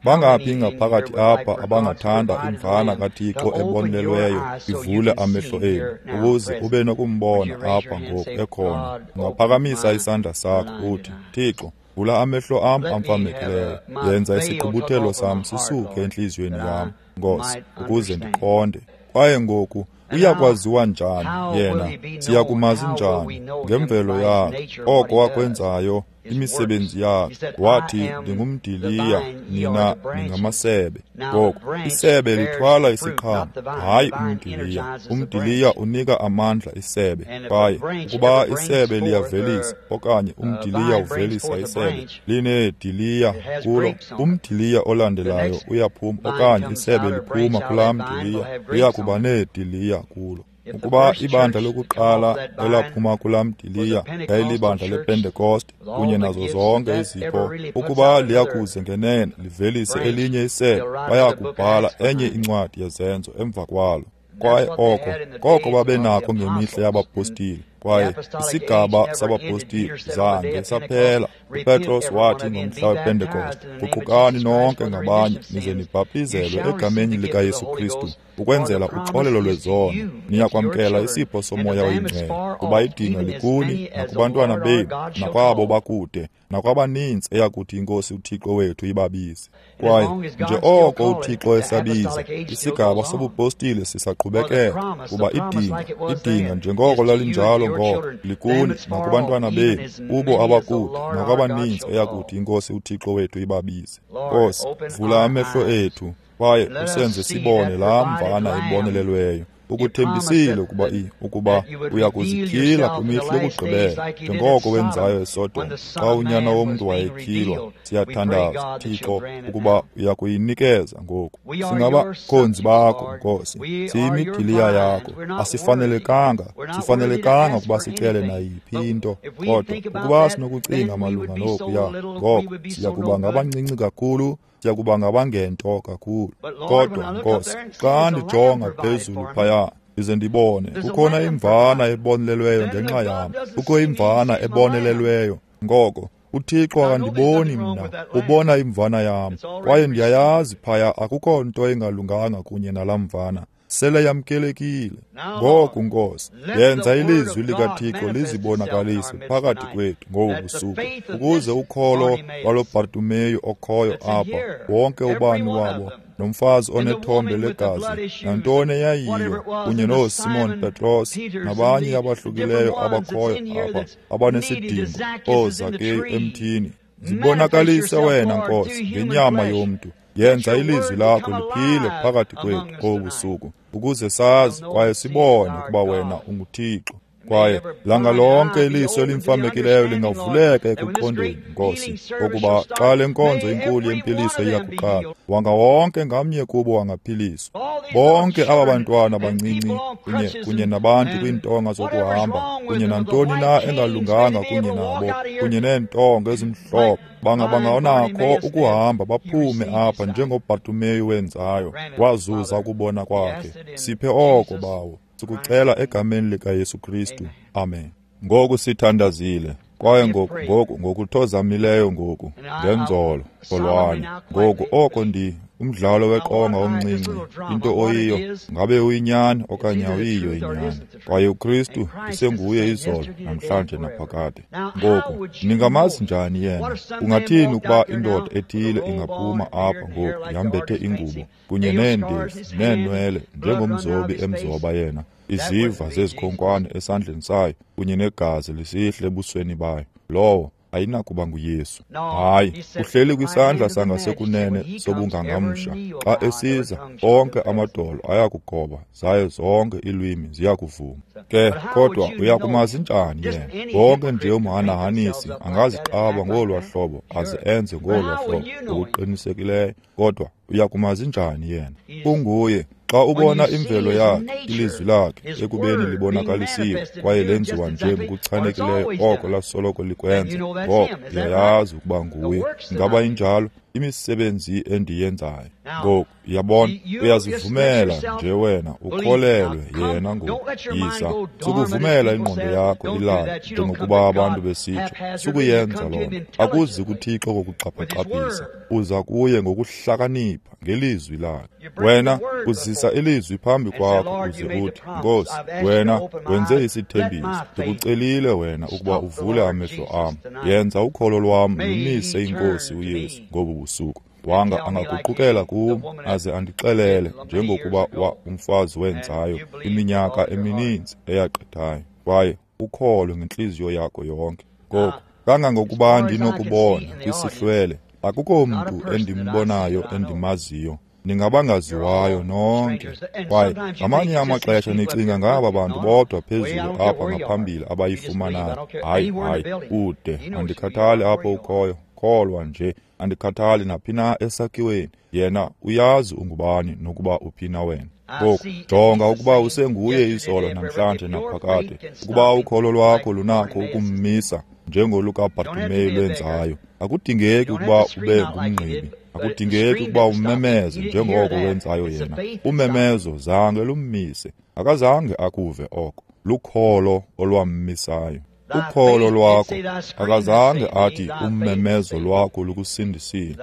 Bangaphi ngaphakathi apha abangathanda imvana kaThixo ebonelelweyo ivule amehlo enu ukuze ube nokumbona apha ngoku ekhona? Ungaphakamisa isandla sakho uthi, Thixo, vula amehlo am amfamekileyo, yenza isigqubuthelo sam sisuke entliziyweni yam, Nkosi, ukuze ndiqonde. Kwaye ngoku uyakwaziwa njani yena? Siyakumazi njani? Ngemvelo yakhe, oko wakwenzayo, imisebenzi yakhe. Wathi, ndingumdiliya, nina ningamasebe. Ngoku isebe lithwala isiqhamo, hayi umdiliya. Umdiliya unika amandla isebe. Kwaye ukuba isebe liyavelisa okanye umdiliya uvelisa isebe, lineediliya kulo, umdiliya olandelayo uyaphuma okanye isebe liphuma kulaa mdiliya, liyakuba neediliya kulo. Ukuba ibandla lokuqala elaphuma kulaa mdiliya yayilibandla lePentekoste kunye nazo zonke izipho, ukuba liyakuze ngenene livelise elinye isebe, bayakubhala enye incwadi yezenzo emva kwalo. Kwaye oko koko babenakho ngemihla yabapostile. Kwaye isigaba sabapostile zange saphela. UPetros wathi ngomhla wePentekoste, guqukani nonke ngabanye nize nibhaptizelwe egameni likaYesu Kristu ukwenzela uxolelo lwezono, niyakwamkela isipho soMoya oyiNgcwele, kuba idinga likuni nakubantwana benu nakwabo bakude nakwabaninzi eyakuthi iNkosi uThixo wethu ibabize. Kwaye nje oko uThixo esabiza, isigaba sobupostile sisaqhubekeka, kuba idinga idinga njengoko lalinjalo ngoko likuni nakubantwana benu, kubo abakude nakwabaninzi eyakuthi iNkosi uThixo wethu ibabize. Nkosi, vula amehlo ethu kwaye usenze sibone laa mvana ibonelelweyo. Ukuthembisile ukuba i ukuba uyakuzityhila kwimihla yokugqibela njengoko wenzayo eSodom xa unyana womntu wayetyhilwa. Siyathandaza, Thixo, ukuba uyakuyinikeza ngoku. Singabakhonzi bakho, Nkosi, siyimidiliya yakho. Asifanelekanga, sifanelekanga ukuba sicele nayiphi into, kodwa ukuba sinokucinga malunga nokuya, ngoko siyakuba ngabancinci kakhulu, siyakuba ngabangento kakhulu. Kodwa Nkosi, xa ndijonga phezulu phaya ndize ndibone kukhona imvana ebonelelweyo ngenxa yam, kukho imvana ebonelelweyo. Ngoko uThixo akandiboni mna, ubona imvana yam, kwaye ndiyayazi phaya akukho nto engalunganga kunye nalaa mvana, sele yamkelekile. Ngoku Nkosi, yenza ilizwi likaThixo lizibonakalise phakathi kwethu ngobu busuku, ukuze ukholo lwalo Bartimeyu okhoyo apha, wonke ubani wabo, nomfazi onethombe legazi, nantoni eyayiyo, kunye nooSimon Petros nabanye abahlukileyo abakhoyo apha abanesidingo, ooZakeyu emthini. Zibonakalise wena, Nkosi, ngenyama yomntu. Yenza ilizwi lakho liphile phakathi kwethu ngobu busuku, ukuze sazi kwaye sibone ukuba wena unguThixo. Kwaye langa lonke iliso elimfamekileyo lingavuleka ekuqondeni, Nkosi, ukuba xa le nkonzo inkulu yempiliso iyakuqala, wanga wonke ngamnye kubo wangaphiliswa. Bonke aba bantwana bancinci kunye kunye nabantu kwiintonga zokuhamba, kunye nantoni na engalunganga kunye nabo, kunye neentonga ezimhlophe, banga banganakho ukuhamba baphume apha njengoBhartimeyu wenzayo, wazuza ukubona kwakhe. Siphe oko, Bawo. Sikucela egameni likaYesu Kristu. Amen. Ngoku sithandazile, kwaye ngoku ngoku ngokuthozamileyo ngoku ngenzolo olwani. Ngoku oko ndi umdlalo weqonga omncinci, into oyiyo, ngabe uyinyani okanye awuyiyo inyani. Kwaye uKristu usenguye izolo, namhlanje naphakade. Ngoku ningamazi njani yena? Ungathini ukuba indoda ethile ingaphuma apha ngoku yambethe ingubo kunye neendevu neenwele njengomzobi emzoba yena, iziva zezikhonkwane esandleni sayo kunye negazi lisihle ebusweni bayo? Lowo ayinakuba nguYesu. Hayi, uhleli kwisandla sangasekunene sobungangamsha. Xa esiza, onke amadolo ayakugoba, zaye zonke iilwimi ziyakuvuma. Ke kodwa uyakumazi njani yena? Wonke nje umhanahanisi angaziqaba ngolwa hlobo aze enze ngolwa hlobo ngokuqinisekileyo, kodwa uyakumazi njani yena? Unguye. Xa ubona imvelo yakhe, ilizwi lakhe ekubeni libonakalisiwe kwaye lenziwa nje ngokuchanekileyo oko lasoloko likwenza, ngoko uyayazi ukuba nguye. Ingaba injalo? Imisebenzi endiyenzayo. Ngoku yabona, uyazivumela nje wena ukholelwe yena ngoku. Yiza, sukuvumela ingqondo yakho ilale njengokuba abantu besitsho. Sukuyenza loo nto. Akuzi kuThixo ngokuxhaphixhaphisa, uza kuye ngokuhlakanipha ngelizwi lakhe. Wena uzisa ilizwi phambi kwakho uze uthi, Nkosi, wena wenze isithembiso, ndikucelile wena ukuba uvule amehlo am. Yenza ukholo lwam lumise iNkosi uYesu ngobu busuku. Wanga angaguqukela kum aze andixelele njengokuba wa umfazi wenzayo iminyaka emininzi eyagqithayo. Kwaye ukholwe ngentliziyo yakho yonke. Ngoku kangangokuba ndinokubona kwisihlwele, akukho mntu endimbonayo endimaziyo. Ningabangaziwayo nonke. Kwaye ngamanye amaxesha nicinga ngaba bantu bodwa phezulu apha ngaphambili abayifumanayo. Hayi, hayi, ude andikhathali apho ukhoyo. Kholwa nje, andikhathali naphi na esakhiweni. Yena uyazi ungubani nokuba uphi na wena. Ngoku jonga ukuba usenguye izolo, namhlanje naphakade. Ukuba ukholo lwakho lunakho ukummisa njengolukaBhartimeyu lwenzayo, akudingeki ukuba ube ngumngqibi, akudingeki ukuba umemeze njengoko wenzayo yena. Umemezo zange lummise, akazange akuve oko. Lukholo olwammisayo. Ukholo lwakho, akazange athi ummemezo lwakho lukusindisile.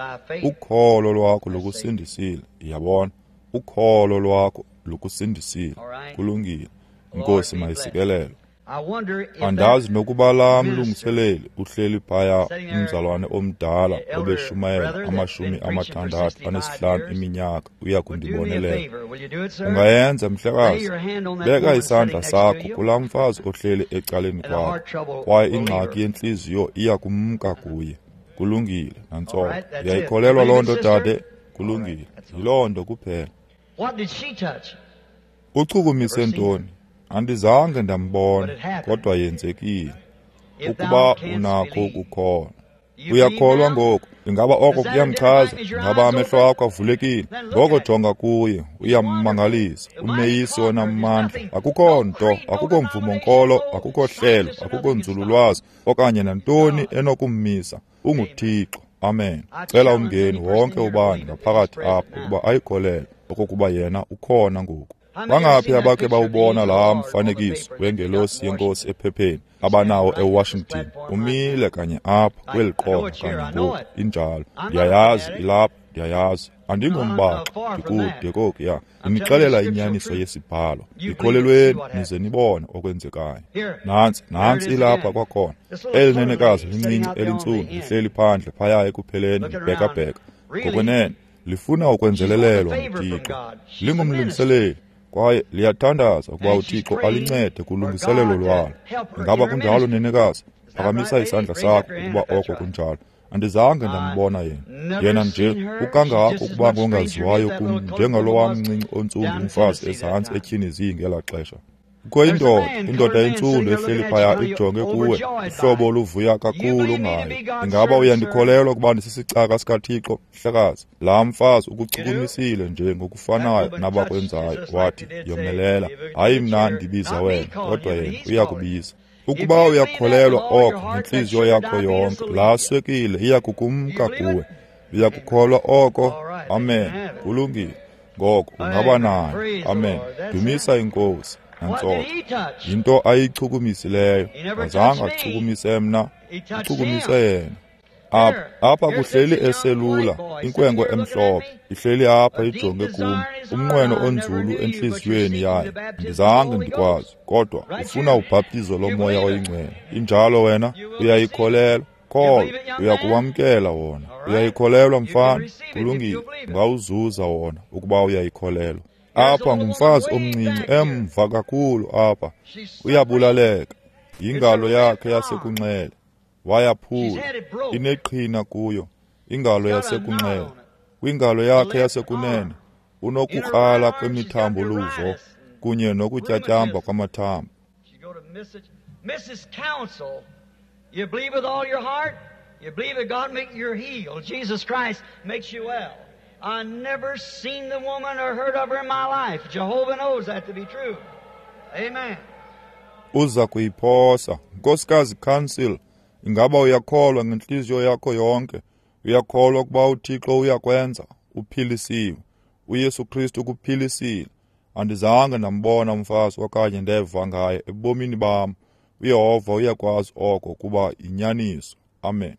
Ukholo lwakho lukusindisile. Yabona, ukholo lwakho lukusindisile. Kulungile. Inkosi mayisikelelwe. Andazi nokuba laa mlungiseleli uhleli phaya, umzalwane omdala obeshumayela amashumi amathandathu anesihlanu iminyaka, uya kundibonelela. Ungayenza, mhlekazi? Beka isandla sakho kulaa mfazi ohleli ecaleni kwakho, kwaye ingxaki yentliziyo iya kumka kuye. Kulungile, nantsoko. Uyayikholelwa loo nto, dade? Kulungile, yiloo nto kuphela. Uchukumise ntoni? Andizange ndambona, kodwa yenzekile. Ukuba unakho ukukholwa. Uyakholwa ngoku? Ingaba oko kuyamchaza? Ingaba amehlo akho avulekile? Ngoko jonga kuye, uyammangalisa, umeyisi onamandla. Akukho nto, akukho mvumo nkolo, akukho hlelo, akukho nzululwazi okanye nantoni enokummisa. UnguThixo. Amen. Cela umngeni wonke ubani ngaphakathi apho ukuba ayikholelwe okokuba yena ukhona ngoku. Bangaphi abakhe bawubona laa mfanekiso wengelosi yenkosi ephepheni abanawo eWashington? Umile kanye apha kweli qonga kanye ngoku. Injalo. Ndiyayazi ilapha, ndiyayazi. Andingombaxi, ndikude kokuya. Ndinixelela inyaniso yesibhalo. Ndikholelweni nize nibone okwenzekayo. Nantsi, nantsi ilapha kwakhona. Eli nenekazi lincinci elintsundu lihleli phandle phaya ekupheleni libhekabheka. Ngokwenene lifuna ukwenzelelelwa nguThixo. Lingumlungiseleli kwaye liyathandaza ukuba uThixo alincede kulungiselelo lwalo. Ingaba kunjalo, nenekazi? Phakamisa isandla sakho ukuba oko kunjalo. Andizange ndambona yena. Yena nje ukangako ukuba ngongaziwayo kum njengalowa mncinci ontsundu umfazi ezantsi eTennessee ngelaa xesha. Kukho indoda, indoda entsundu ehleli phaya ijonge kuwe, uhlobo oluvuya kakhulu ngayo. Ingaba uyandikholelwa ukuba ndisisicaka sikaThixo, mhlekazi? Laa mfazi ukuchukumisile nje ngokufanayo nabakwenzayo. Wathi, yomelela, hayi mna ndibiza wena, kodwa yena uyakubiza. Ukuba uyakholelwa oko ngentliziyo yakho yonke, laa swekile iyakukumka kuwe. Uyakukholwa oko? Amen. Kulungile. Ngoko ungaba nayo. Amen. Dumisa iNkosi. Nantsoko. Yinto ayichukumisileyo. Azange achukumise mna, uchukumise yena. Apha, apha kuhleli eselula, inkwenkwe emhlophe, ihleli apha ijonge kum, umnqweno onzulu entliziyweni yayo. Andizange ndikwazi, kodwa ufuna ubhaptizo loMoya oyiNgcwele. Injalo wena, uyayikholelwa. Kholwa, uyakuwamkela wona. Uyayikholelwa mfana, kulungile, ungawuzuza wona ukuba uyayikholelwa. Apha ngumfazi omncinci emva kakhulu apha, uyabulaleka. Yingalo yakhe yasekunxele, wayaphula, ineqhina kuyo, ingalo yasekunxele. Kwingalo yakhe yasekunene, unokukrala kwemithambo luvo kunye nokutyatyamba kwamathambo. Missus Council, you believe with all your heart, you believe that God makes you healed. Jesus Christ makes you well. I never seen the woman or heard of her in my life. Jehovah knows that to be true. Amen. Uza kuyiphosa. Nkosikazi Council, ingaba uyakholwa ngentliziyo yakho yonke? Uyakholwa ukuba uThixo uyakwenza? Uphilisiwe. uYesu Kristu ukuphilisile. Andizange ndambona umfazi okanye ndeva ngaye ebomini bam. uYehova uyakwazi oko kuba yinyaniso. Amen.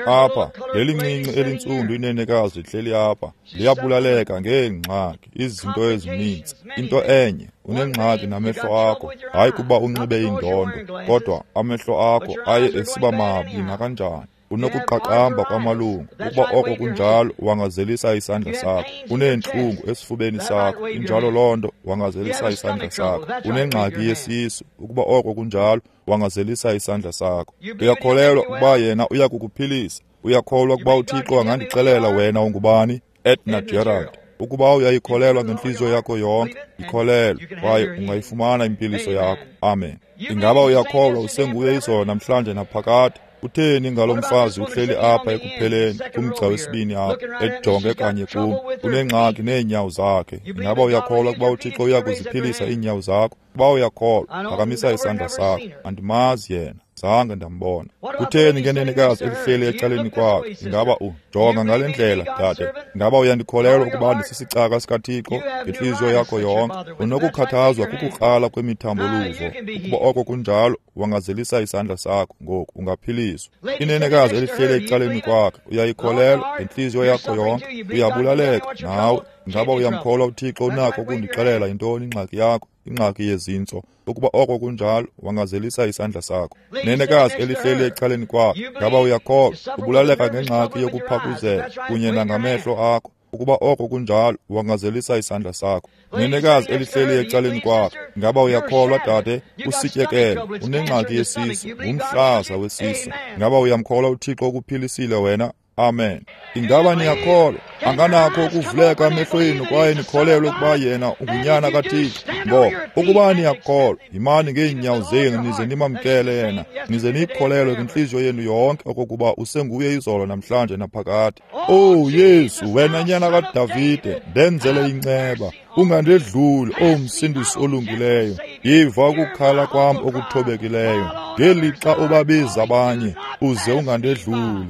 Apha, leli ncinci elintsundu inenekazi lihleli apha, liyabulaleka ngeengxaki, izinto ezininzi. Into enye, unengxaki namehlo akho, hayi kuba unxibe indondo, kodwa amehlo akho aye esiba mabi nakanjani. Unokuqaqamba kwamalungu, ukuba oko kunjalo, wangazelisa isandla sakho. Uneentlungu esifubeni sakho, injalo loo nto, wangazelisa isandla sakho. Unengxaki yesisu, ukuba oko kunjalo, wangazelisa isandla sakho. Uyakholelwa ukuba yena uyakukuphilisa? Uyakholwa ukuba uThixo angandixelela wena ungubani? Edna Gerald. Ukuba uyayikholelwa ngentliziyo yakho yonke, ikholelwe, kwaye ungayifumana impiliso yakho. Amen. Ingaba uyakholwa usenguye izolo namhlanje naphakade? Utheni ngalo mfazi uhleli apha ekupheleni kumgca wesibini apha, ejonge kanye kum? Unengxaki neenyawo zakhe. Ingaba uyakholwa ukuba uThixo uyakuziphilisa iinyawo zakho? Ukuba uyakholwa, phakamisa isandla sakho. Andimazi yena, zange ndambona. Kutheni ngenenekazi elihleli ecaleni kwakhe? Ingaba ujonga ngale ndlela, dade? Ingaba uyandikholelwa ukuba ndisisicaka sikaThixo ngentliziyo yakho yonke? Unokukhathazwa kukukrala kwemithambo luvo. Ukuba oko kunjalo, wangazelisa isandla sakho ngoku, ungaphiliswa. Inenekazi elihleli ecaleni kwakhe, uyayikholelwa ngentliziyo yakho yonke? Uyabulaleka nawe. Ingaba uyamkholwa uThixo unakho ukundixelela yintoni ingxaki yakho? Ingxaki yezintso. Ukuba oko kunjalo, wangazelisa isandla sakho. Nenekazi elihleli ecaleni kwakhe, ngaba uyakholwa? Ubulaleka ngengxaki yokuphakuzela kunye nangamehlo akho. Ukuba oko kunjalo, wangazelisa isandla sakho. Nenekazi elihleli ecaleni kwakhe, ngaba uyakholwa dade? Usityekele, unengxaki yesisu, ngumhlaza wesisu. Ngaba uyamkholwa uThixo ukuphilisile wena? Amen. Ingaba niyakholwa? Anganakho ukuvuleka amehlo enu kwaye nikholelwe ukuba yena ungunyana kaThixo. Ngoko, ukuba niyakholwa, yimani ngeenyawo zenu nize nimamkele yena, nize niyikholelwe ngentliziyo yenu yonke okokuba usenguye izolo namhlanje naphakade. Oh Yesu, wena nyana kaDavide, ndenzele inceba, ungandedluli, oh Msindisi olungileyo. Yiva ukukhala kwam okuthobekileyo, ngelixa ubabiza abanye, uze ungandedluli.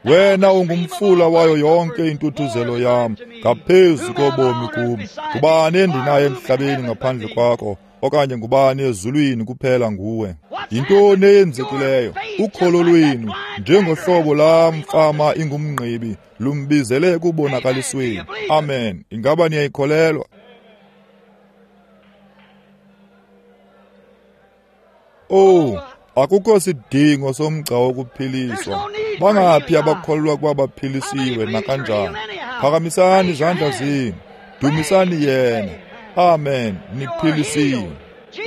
Wena ungumfula wayo yonke intuthuzelo yam, ngaphezu kobomi kum. Ngubani endinaye emhlabeni ngaphandle kwakho, okanye ngubani ezulwini kuphela nguwe? Yintoni eyenzekileyo? Ukholo lwenu, njengohlobo laa mfama ingumngqibi, lumbizele ekubonakalisweni. Amen. Ingaba niyayikholelwa? Oh, akukho sidingo somgca wokuphiliswa. Bangaphi abakholelwa ukuba baphilisiwe nakanjani? Phakamisani izandla zenu, dumisani yena. Amen. Niphilisiwe.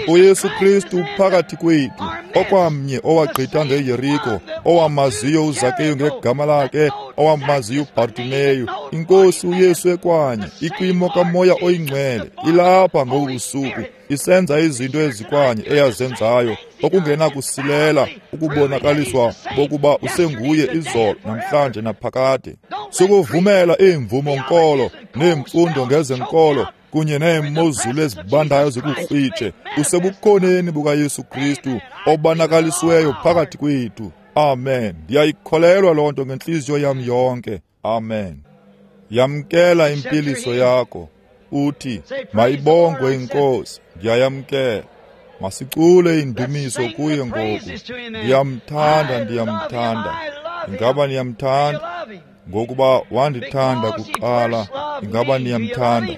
uYesu Kristu phakathi kwethu, okwamnye owagqitha ngeYeriko, owamaziyo uZakeyu ngegama lakhe, owamaziyo uBartimeyu. INkosi uYesu ekwanye ikwimo kaMoya oyiNgcwele ilapha ngobu busuku, isenza izinto ezikwanye eyazenzayo, okungenakusilela ukubonakaliswa bokuba usenguye izolo, namhlanje naphakade. Sukuvumela iimvumo nkolo neemfundo ngezenkolo kunye neemozulu ezibandayo zikukrwitshe. Usebukhoneni bukaYesu Kristu obonakalisiweyo phakathi kwethu. Amen. Ndiyayikholelwa loo nto ngentliziyo yam yonke. Amen. Yamkela impiliso yakho. Uthi, mayibongwe iNkosi. Ndiyayamkela. Masicule indumiso kuye ngoku. Ndiyamthanda, ndiyamthanda. Ingaba niyamthanda? Ngokuba wandithanda kuqala. Ingaba niyamthanda?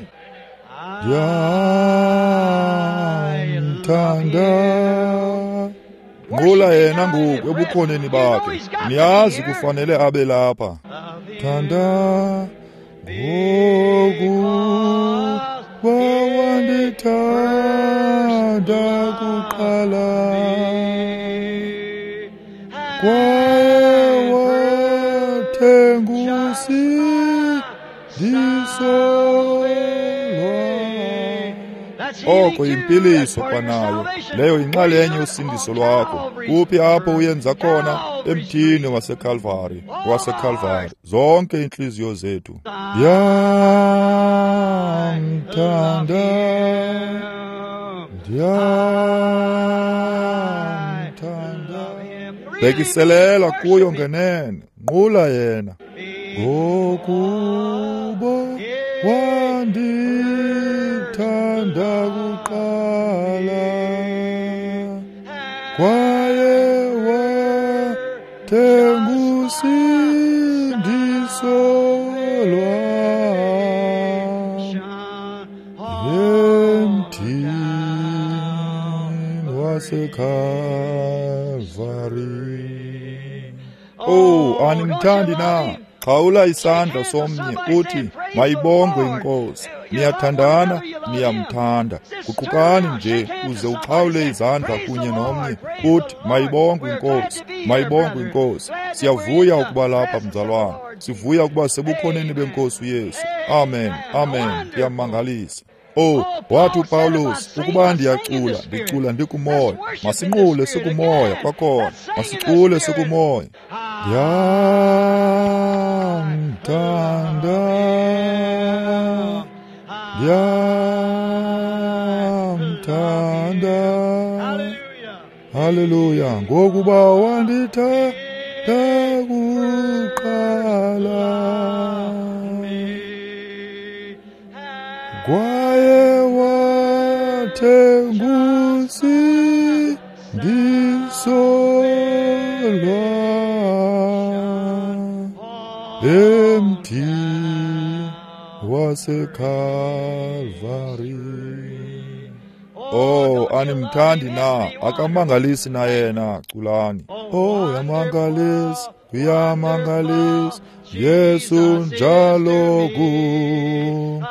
Ndiyamthanda. Nqula yena ngoku ebukhoneni bakhe. Niyazi kufanele abe lapha. Thanda ngokuba wandithanda kuqala, kwaye wathenga usindiso lwam. Oko yimpiliso kwanayo, leyo yinxalenye yosindiso lwakho. Kuphi apho uyenza khona? Emthini waseKalvari, waseKalvari. Zonke iintliziyo zethu. Ndiyamthanda, ndiyamthanda. Bhekiselela kuyo ngenene, nqula yena. Ngokuba wandithanda kuqala, kwaye wathenga usindiso lwam emthini waseKalvari. Oh, animthandi na? Xhawula isandla somnye uthi, mayibongwe iNkosi. Niyathandana, niyamthanda. Guqukani nje uze uxhawule izandla kunye nomnye uthi, mayibongwe iNkosi, mayibongwe iNkosi. Siyavuya ukuba lapha, mzalwana. Sivuya ukuba sebukhoneni beNkosi uYesu. Amen, amen. Kuyamangalisa. Oh, wathi uPawulos, ukuba ndiyacula, ndicula ndikumoya. Masinqule sikumoya kwakhona. Masicule sikumoya. Ndiyamthanda, ndiyamthanda. Haleluya, ngokuba wandithanda kuqala, kwaye wathenga usindiso lwam emthini waseKalvari. Oh, animthandi na? Akamangalisi na yena? Culani. Oh, uyamangalisa, uyamangalisa, Yesu njalo kum.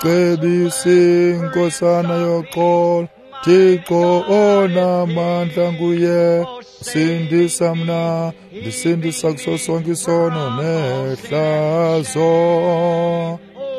Cebisi inkosana yoxolo, Thixo onamandla nguye. Sindisa mna, ndisindisa kuso sonke isono nehlazo.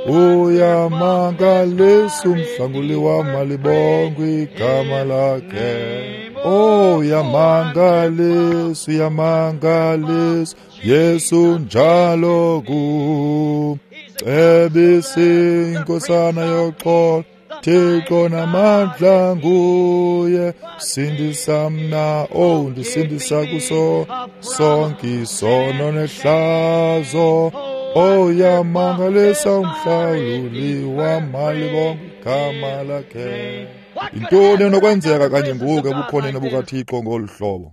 Uyamangalisa umhlanguli wam, malibongwe igama lakhe. Oh, uyamangalisa, uyamangalisa, Yesu njalo kum. Cebisi inkosana yoxolo, Thixo namandla nguye. Sindisa mna, oh, ndisindisa kuso sonke isono nehlazo. Oh, uyamangalisa umhlawuli wam, malibongwe igama lakhe. Yintoni enokwenzeka kanye ngoku ebukhoneni bukaThixo ngolu hlobo?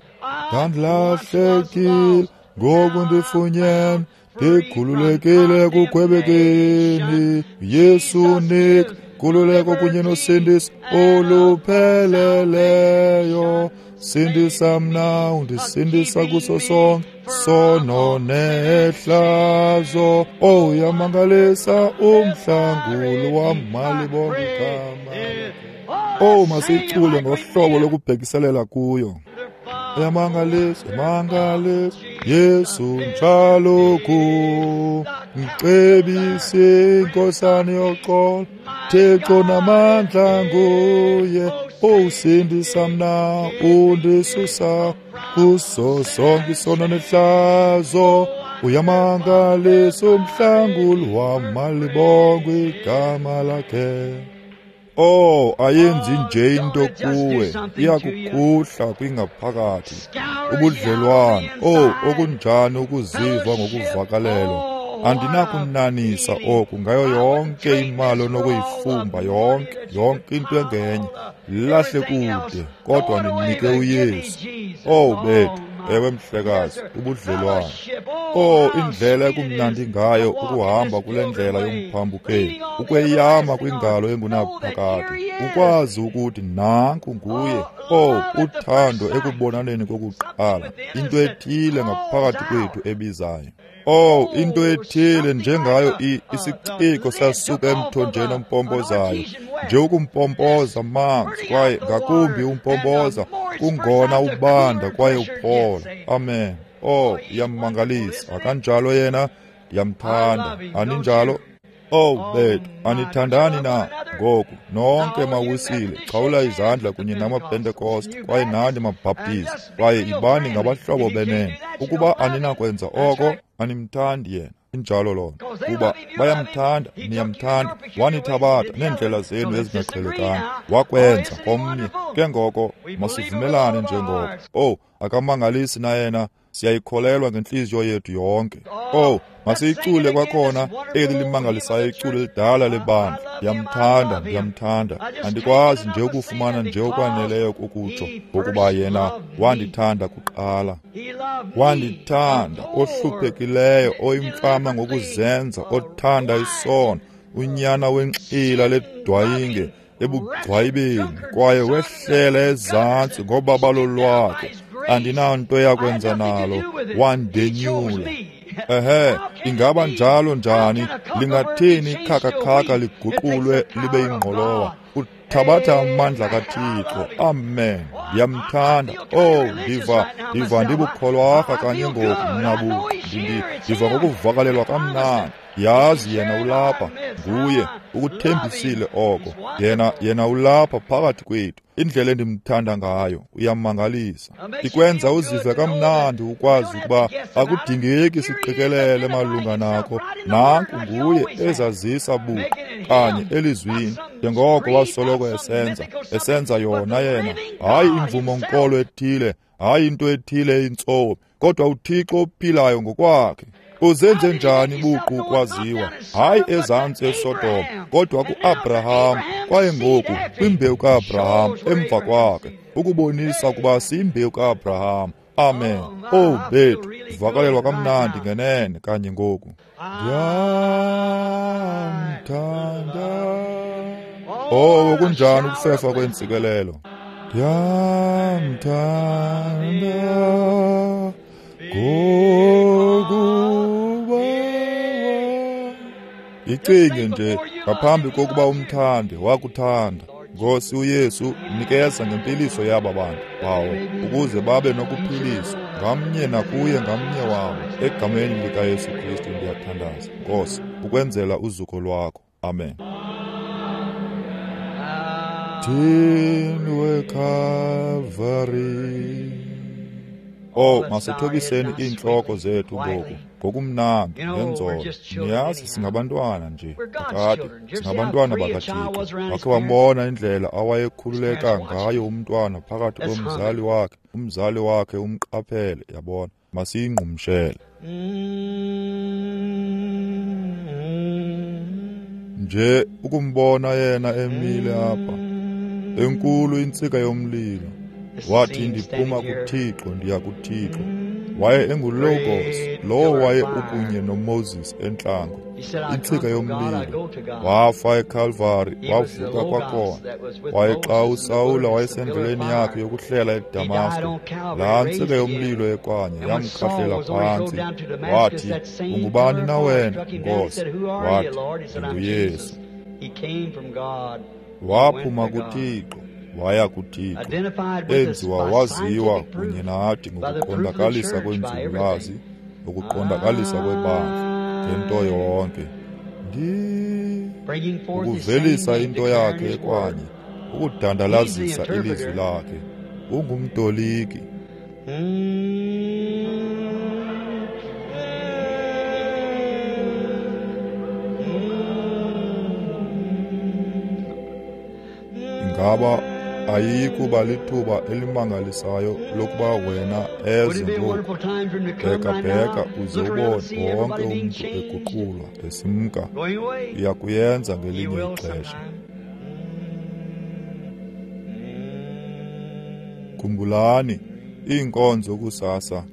Ndandilahlekile, ngoku ndifunyenwe, ndikhululekile ekugwebekeni. Yesu nika nkululeko kunye nosindiso olupheleleyo. Sindisa mna, undisindisa kuso sonke sono nehlazo. Oh, uyamangalisa umhlanguli wam, malibongwe igama lakhe. Owu, masiyicule ngohlobo lokubhekiselela kuyo. Yamangalisa, yamangalisa, Yesu njalo ku mcebisi inkosana yoxolo, Thixo namandla nguye, usindisa mna undisusa kuso sonke isono nehlazo. Uyamangalisa umhlanguli wam, malibongwe igama lakhe. Oh, ayenzi nje into kuwe, iyakukhuhla kwingaphakathi. Ubudlelwane, oh, okunjani ukuziva ngokuvakalelwa. Andinakunanisa oku ngayo yonke imali onokuyifumba, yonke, yonke into engenye. Lahle kude, kodwa ndinike uYesu. Oh, bethu, ewe mhlekazi, ubudlelwane. Oh, indlela ekumnandi ngayo ukuhamba kule ndlela yomphambukeli, ukweyama kwingalo engunaphakade, ukwazi ukuthi nanku nguye. Oh, uthando ekubonaneni kokuqala, into ethile ngaphakathi kwethu ebizayo. Oh, into ethile njengayo isiciko sasuka emthonjeni ompompozayo, nje ukumpompoza amanzi kwaye ngakumbi umpompoza kungona ubanda kwaye uphola. Amen. Oh, iyamangalisa. Akanjalo yena, ndiyamthanda. Aninjalo? Oh, bethu, anithandani na? Ngoku nonke mawisile, xhawula izandla kunye namaPentekoste kwaye nani maBhaptizi, kwaye ibani ngabahlobo benene. Ukuba aninakwenza oko, animthandi yena. Injalo lona. Kuba bayamthanda, niyamthanda, wanithabatha neendlela zenu ezingaqhelekanga, wakwenza komnye. Ke ngoko masivumelane njengoko. Oh, akamangalisi na yena? Siyayikholelwa ngentliziyo yethu yonke. Oh, masiyicule kwakhona eli limangalisayo iculo elidala lebandla. Ndiyamthanda, ndiyamthanda. Andikwazi nje ukufumana nje okwaneleyo ukutsho ngokuba yena wandithanda kuqala. Wandithanda, ohluphekileyo, oyimfama ngokuzenza, othanda isono, unyana wenxila ledwayinge ebugcwayibeni, kwaye wehlela ezantsi ngobabalo lwakhe. Andinanto yakwenza nalo, wandenyula. Ehe, ingaba njalo njani? Lingathini ikhakakhaka liguqulwe libe yingqolowa? Uthabatha amandla kaThixo. Amen. Ndiyamthanda. Oh, ndiva, ndiva ndibukholwarha kanye ngoku mna buqu. Ndiva ngokuvakalelwa kamnandi. Yazi yena ulapha, nguye, ukuthembisile oko. Yena, yena ulapha phakathi kwethu. Indlela endimthanda ngayo uyamangalisa. Ikwenza uzive kamnandi ukwazi ukuba akudingeki siqikelele malunga nako. Nanku nguye ezazisa buqu kanye elizwini, njengoko wasoloko esenza, esenza yona yena. Hayi imvumo nkolo ethile, hayi into ethile intsomi, kodwa uThixo ophilayo ngokwakhe. Uzenze njani buqu kwaziwa? Hayi ezantsi eSodom, kodwa kuAbraham, kwaye ngoku kwimbewu kaAbraham emva kwakhe, ukubonisa ukuba siyimbewu kaAbraham. Amen. Oh bethu, vakalelwa kamnandi ngenene kanye ngoku. Ndiyamthanda. Oh, kunjani ukufefa kwentsikelelo. Ndiyamthanda ngokuba. Icinge nje ngaphambi kokuba umthande, wakuthanda. Nkosi uYesu, nikeza ngempiliso yaba bantu bawo, ukuze babe nokuphiliswa ngamnye nakuye ngamnye wabo. Egameni likaYesu Kristu ndiyathandaza, Nkosi, ukwenzela uzuko lwakho. Amen. Thinwe Calvary. Oh, masithobiseni iintloko zethu ngoku ngokumnandi ngenzolo. Niyazi singabantwana nje kakade, singabantwana bakaThixo. Wakhe wambona indlela awayekhululeka ngayo umntwana phakathi komzali wakhe, umzali wakhe umqaphele, yabona. Masiyingqumshele nje ukumbona yena emile apha, enkulu intsika yomlilo. Wathi, ndiphuma kuThixo, ndiya kuThixo. Waye enguLogos, lowo waye ukunye noMoses entlango, intsika yomlilo. Wafa eCalvary, wavuka kwakhona. Waye xa uSawula wayesendleleni yakhe yokuhlela eDamasko, laa ntsika yomlilo ekwanye yamkhahlela phantsi. Wathi, ungubani na wena, Nkosi? Wathi, ndinguYesu. Waphuma kuThixo, waya kuThixo, enziwa waziwa kunye nathi ngokuqondakalisa kwenzululwazi, ngokuqondakalisa kwebandla, ngento yonke. Ndi ukuvelisa into yakhe ekwanye, ukudandalazisa ilizwi lakhe. Ungumtoliki. Ingaba ayiyikuba lithuba elimangalisayo lokuba wena eze ngoku? Bheka-bheka uze ubone wonke umntu eguqulwa esimka. Uya kuyenza ngelinye ixesha. Khumbulani iinkonzo kusasa,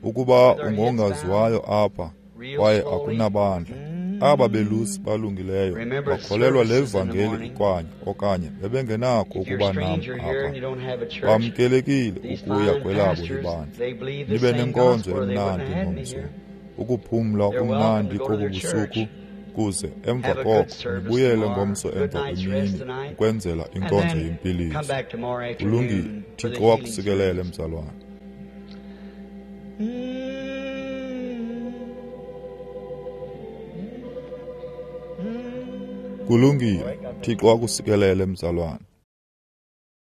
ukuba ungongaziwayo apha kwaye akunabandla. Aba belusi balungileyo bakholelwa le vangeli ikwanye okanye bebengenakho ukuba nam apha. Bamkelekile ukuya kwelabo ibandla. Nibe nenkonzo emnandi ngomso, ukuphumla okumnandi kobu busuku, kuze emva koko nibuyele ngomso emva kwemini ukwenzela inkonzo yempiliso. Kulungile, Thixo wakusikelele mzalwana. Kulungile, Thixo akusikelele mzalwana.